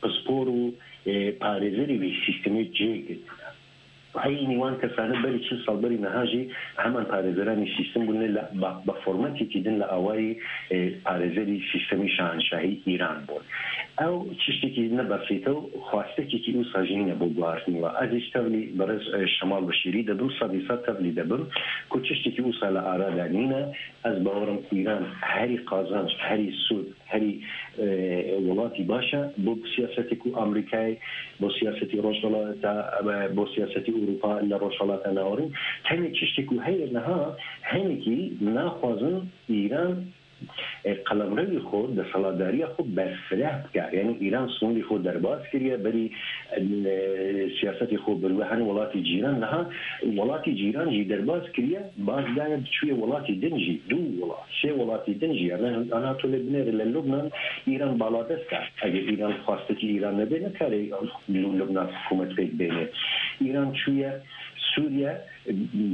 pispor û, e, parêzerê wî sîstemê cê girtine. Eynî wan kesane berî çil sal berî niha jî heman parêzeranî sîstem bûne, li, ba, bi formatekî din li awayî, e, parêzerî sîstemî şahanşahî Îran bûn. Ew tiştekî ne besît e û xwastekekî wisa jî nîne bo guhartinê we. Ez jî tevlî berêz, e, Şemal Beşîrî dibim, sedî sed tevlî dibim ku tiştekî wisa li ara de nîne. Ez bawerim Îran herî qazanc, herî sûd, herî, e, welatî baş e bo siyasetê ku Amerîkayê, bo siyasetî Rojhilata, e, bo siyasetî Ewropa li Rojhilata Navîn. Tenê tiştê ku heye niha, hinekî naxwazin Îran, e, qelemrewî xwe, desthilatdariya xwe berfireh bike. Yani Îran sînorê xwe derbas kiriye, berî, e, siyasetê xwe bi rû hin welatî cîran. Niha welatî cîran jî derbas kiriye, baz daye biçûye welatî din jî, du welat, sê welatî din jî. Yani ana tu lê binêre li Lubnan Îran baladest e. Eger Îran xwastekî Îran nebe, nikare li Lubnan hikûmet pêk bêne. Îran çûye Sûriye,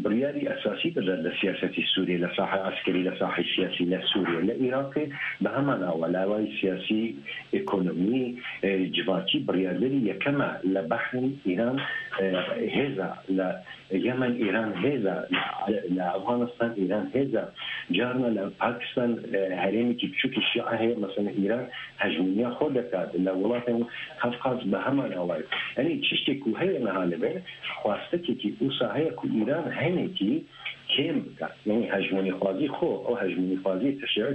biryarî esasî bide li siyasetî Sûriyê, li sahê eskerî, li sahê siyasî li Sûriyê, li Iraqê bi heman awa, li awayî siyasî, ekonomî, e, civakî biryarderî yekem e. Li Behrîn Îran, e, hêz e, li Yemen Îran hêz e, li, li Efxanistan Îran hêz e, carna li Pakistan, e, herêmekî biçûkî Şîa heye, mesela Îran hejmûniya xwe dikar, li welatên Kafkaz bi heman awayî. Yanî tiştê ku heye niha li vir, xwastekekî wisa heye ku Îran hinekî kêm bike. Yanî hejmûnîxwazî xwe, ew hejmûnîxwazî teşeya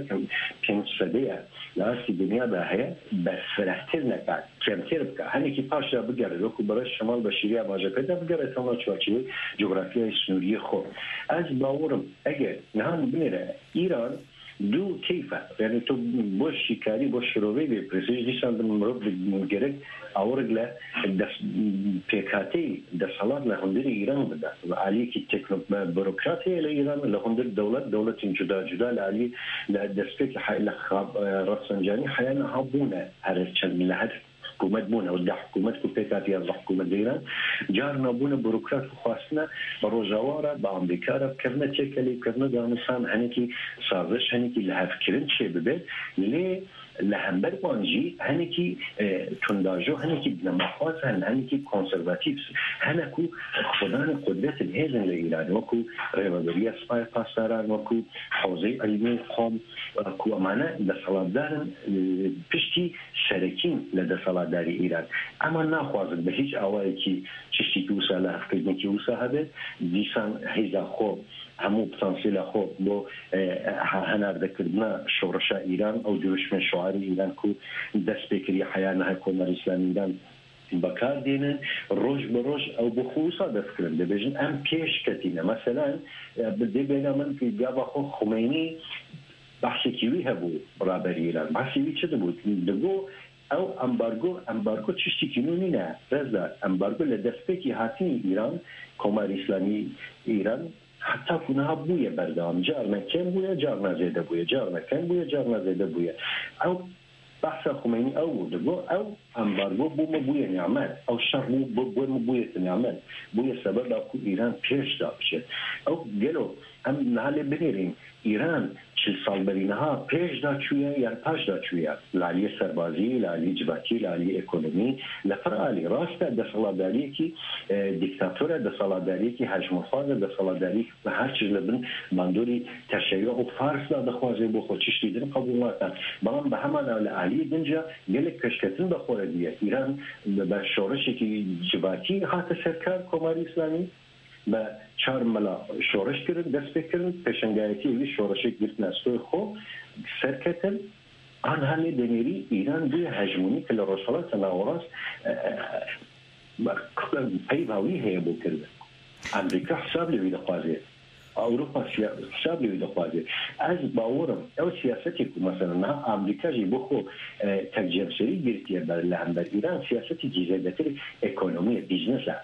pênc sedê ye, li astî dinya de heye, berfirehtir neke, kêmtir bike. Hinekî paş de bigere, wekî berêz Şemal Beşîrî amaje kir, de bigere temam çarçovê cografyayê sînoriyê xwe. Ez bawer im, eger niha binêre Îran du keyf e. Yani tu bo şîkarî, bo şirovê vê pirsê, dîsan di mirov di gerek awirik li des-, pêkhateyî desthilat li hundirê Îran bide. Aliyekî tekno-, burokrat heye li Îran, li hundir dewlet, dewletên cuda cuda li aliyê, li destpêkê he-, li xa-, e, Rafsancanî heya niha bûne. Her çend li her hikûmet bûne û deh hikûmet ku pêk hatiye, ez hikûmet dêran, carna bûne burokrat ku xwastine bi Rojava re, bi Amerîka re bikevine têkelê, bikevine danûsan, hinekî saziş, hinekî lihevkirin çêbibe. Lê li hember wan jî hinekî, e, tundajo, hinekî binemaxwaz hene, hinekî konservatîf hene ku xwedanê qudretên hêzin li Îranê, wekû Rêveberiya Sipayê Pasdaran, wekû Hewzeyê Îlmî Qom, ku emane desthilatdar in, e, piştî serekîn li desthilatdarî Îran. Ema naxwazin bi hîç awayekî tiştekî wisa, lihevkirinekî wisa hebe, dîsan hêza xwe, hemû potansiyela xwe bo, e, he-, henardekirina şoreşa Îran, ew dirûşmên şoarê Îran ku dest pê kiriye heya niha Komara Îslamî Îran bi kar dênin, roj bi roj ew bi xwe wisa dest kirin. Dibêjin, em pêş ketîne. Meselan, e, bi dê bêhna min ku gava xwe Xumeynî behsekî wî hebû, raberî Îran. Behsê wî çi dibû? Digot, ew ambargo, ambargo tiştekî nû nîne, Rezdar. Ambargo li destpêkî hatinî Îran, Komarê Îslamî Îran, heta ku niha bûye berdewam. Carna kêm bûye, carna zêde bûye, carna kêm bûye, carna zêde bûye. Ew behsa Xumeynî ew bû, digot, ew ambargo bo me bûye nimet, ew şer bû, bo, bo me bûye nimet. Bûye sebeba ku Îran pêş de biçe. Ew gelo em niha lê binêrîn, Îran çil sal berî niha pêş de çûye yan paş de çûye? Li aliyê serbazî, li aliyê civakî, li aliyê ekonomî, li pir alî. Rast e, desthilatdariyekî, e, dîktator e, desthilatdariyekî hejmûrxwaz e, desthilatdariyekî her çi li bin bandorî teşeyyû û Fars de dixwaze bo xwe, tiştê din qebûl nake. Belam bi heman a li aliyê din jî gelek pêşketin bi xwe re diye. Îran bi, bi şoreşekî civakî hate ser kar Komarê Îslamî. Bi çar mela şoreş kirin, dest pê kirin, pêşengayetiyê wî şoreşê girtine stûyê xwe, ser ketin. Anha lê demêrî Îran bûye hejemonîk li Rojhilata Nawerast, e, e, peyva wî heye bo kirin. Amerîka hesab li wî dixwaze. Ewropa siya-, hesab li wî dixwaze. Ez bawer im, ew siyasetê ku mesela niha Amerîka jî bo xwe, e, tekcemserî girtiye ber li hember Îran, siyasetekî zêdetir ekonomî ye, bîznes e.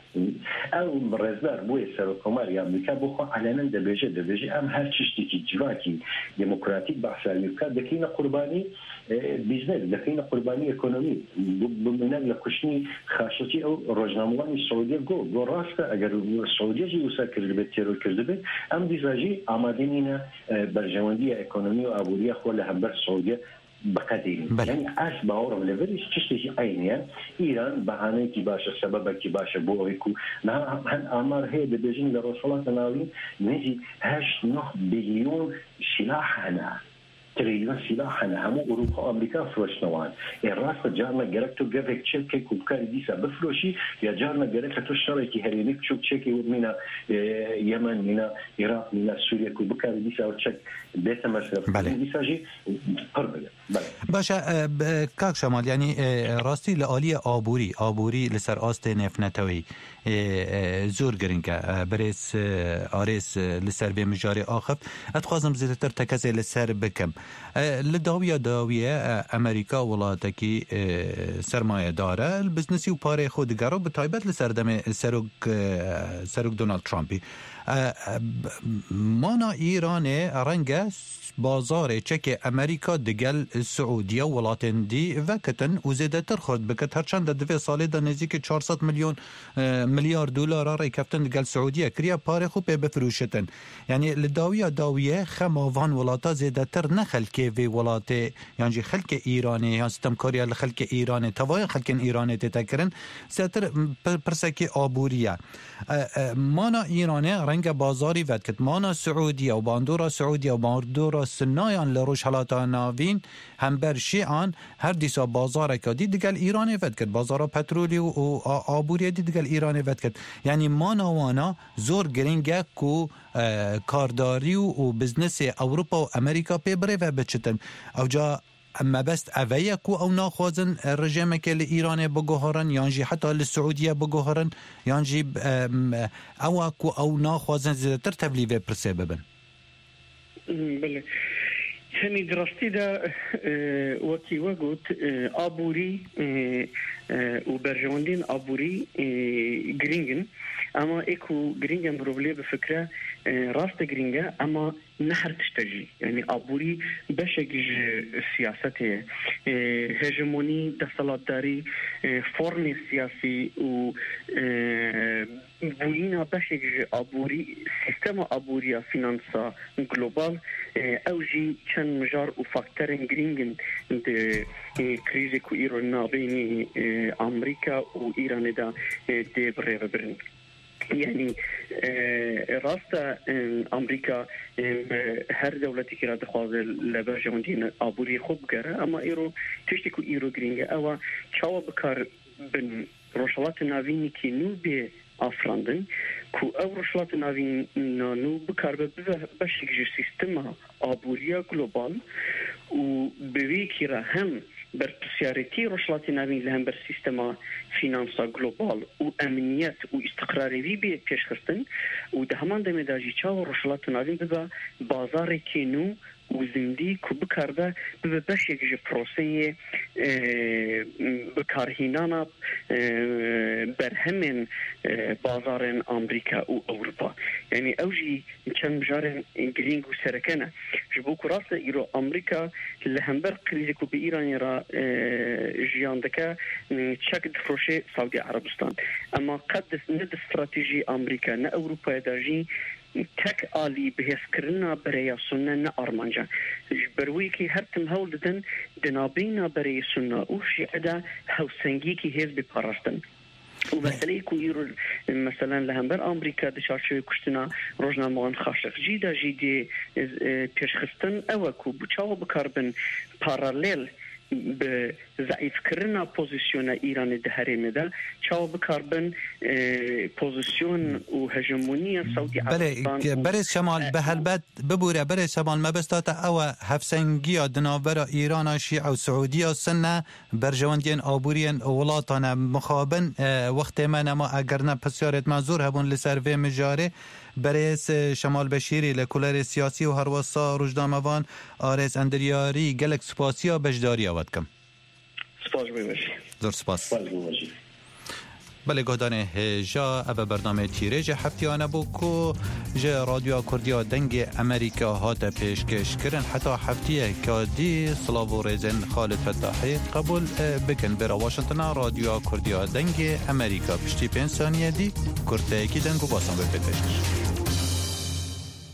Ew rêzdar bûye serokkomarê Amerîka bo xwe elenen dibêje, dibêje, em her tiştekî civakî demokratîk behsa wî bike, dikeyne qurbanî, e, bîznes, dikeyne qurbanî ekonomî. Bi, bi mînak li kuştinî Xaşiqçî ew rojnamewanî Siûdiye got, got rast e, eger Siûdiye jî wisa kirdibe, teror kirdibe, em dîsa jî amade nîne, e, berjewendiya ekonomî û aboriya xwe li hember Siûdiye biqedînin. Belê. Yani ez bawer im li vir tiştekî eynî ye. Îran behaneyekî baş e, sebebekî baş e bo ew ku niha hin amar heye dibêjin li Rojhilata Navîn nêzî heşt neh bilyon silah hene. Trilyon silah hene. Hemû Ewropa, Amerîka firoştine wan. Ê rast e, carna gerek tu gevek çek ke ku bikarî dîsa bifiroşî, ya carna gerek tu şerekî herêmî biçûk çekê wek mîna, e, Yemen, mîna Iraq, mîna Sûriye ku bikarî dîsa ew çek bête mesref. Belê. Dîsa jî pir bile. Belê. Baş e, e, b-, kak Şemal, yanî, e, rastî li aliyê aborî, aborî li ser astê nêvneteweyî, e, e, zor giring e. E, birêz, e, Arêz, e, li ser vê mijarê axift. Ez dixwazim zêdetir tekezê li ser bikim. E, li dawiya dawiyê, e, Amerîka welatekî, e, sermayedar e, li biznesî û parê xwe digere û bi taybet li serdemê serok, e, serok Donald Trumpî. E, e, b-, mana Îranê renge bazarê çekê Amerîka digel Siûdiye û welatên dî vekitin û zêdetir xurt bikit, her çend di vê salê de nêzîkî çar sed milyon, e, milyar dolara rêkeftin digel Siûdiye kiriye, parê xwe pê bifirûşitin. Yanî li dawiya dawiyê xema van welata zêdetir ne xelkê vê welatê, yan jî xelkê Îranê, yan sitemkariya li xelkê Îranê, tevaya xelkên Îranê tête kirin, zêdetir pir-, pirsekî aborî ye. E, e, mana Îranê renge bazarî vedkit. Mana Siûdiye û bandora Siûdiye û bandora Sunnayan li Rojhilata Navîn hember Şîan her dîsa bazareke dî digel Îranê vedkit. Bazara petrolî û, û a-, aboriyê dî digel Îranê vedkit. Yanî mana wana zor giring e ku, e, kardarî û, û biznesê Ewropa û Amerîka pê birêve biçitin. Ewca mebest ev e ku ew naxwazin, e, rejêmeke li Îranê biguherin, yan jî heta li Siûdiye biguherin, yan jî, e, m-, ew e ku ew naxwazin zêdetir tevlî vê pirsê bibin? Belê. Tenî di rastî de, e, wekî we got, e, aborî, e, e, û berjewendiyên aborî, e, girîng in. Ama ê ku girîng e mirov lê bifikre, e, rast e girîng e, ama ne her tişt e jî. Yanî aborî beşek ji siyasetê ye. E, hejemonî, desthilatdarî, e, formê siyasî û, e, bûyîna beşek ji aborî, sîstema aboriya fînansa global, e, ew jî çend mijar û faktorên girîng in di, e, krîzê ku îro nabênî, e, Amerîka û Îranê de, e, dê bi rê ve birin. Yanî, e, rast e, e, Amerîka, e, her dewletekî re dixwaze li berjewendiyên aborî xwe bigere, ama îro tiştê ku îro girîng e, ew e çawa bikar bin Rojhilatê Navînekî nû bê afirandin, ku ew Rojhilatê Navîna nû bikaribe bibe beşek ji sîstema aboriya global û bi vê yekî re hem berpirsyarêtî Rojhilatê Navîn li hember sîstema fînansa global û emniyet û îstiqrarê wî bê pêşxistin û di heman demê de jî çawa Rojhilatê Navîn bibe bazarekê nû û zindî ku bikaribe bibe beşek ji proseyê, e, bikarhînana, e, berhemên, e, bazarên Amerîka û Ewropa. Yanî ew jî çend mijarên girîng û sereke ne. Ji bo ku rast e îro Amerîka li hember krîzê ku bi Îranê re, e, jiyan dike, e, çek difroşe Saûdî Erebistan. Ema qet di, ne di stratejî Amerîka ne Ewropayê de jî tek alî bihêzkirina bereya Sunne ne armanc e. Ji ber wê yekê her tim hewl didin di navbeyna bereyê Sunne û Şîe de hewsengiyekî hêz bê parastin. Û meseleyê ku îro, meselen, li hember Amerîka di çarçovê kuştina rojnamewan Xaşiqcî de jî dê, e, pêşxistin, ew e ku bi çawa bikaribin paralel bi zeîfkirina pozîsyona Îranê di herêmê de çawa bikaribin, e, pozîsyon û hegemoniya Sewdî Belê, Erebistan û berêz Şemal, e, bi helbet bibûre, berêz Şemal, mebesta te ew e, hevsengiya di navbera Îrana Şîe û Siûdiya Sunne, berjewendiyên aboriyên welatan e mixabin, e, wextê me nema, eger ne pisyarêt me zor hebûn li ser vê mijarê. Berêz, e, Şemal Beşîrî li kulerê siyasî û herwesa rojnamevan Arêz Endiryarî, gelek spasiya beşdariya we dikim. Spas ji bo wê jî. Zor spas. Spas ji bo wê jî. Belê guhdarên hêja, ev e bernameyê Tîrêjê Heftiyane bû ku ji Radyoya Kurdiya Dengê Amerîka hate pêşkêş kirin. Heta heftiyeke dî, silav û rêzên Xalid Fetahî qebûl, e, bikin. Bêra Washingtona Radyoya Kurdiya Dengê Amerîka, piştî pênc saniye dî kurteyekî deng û basan bê pêşkêş.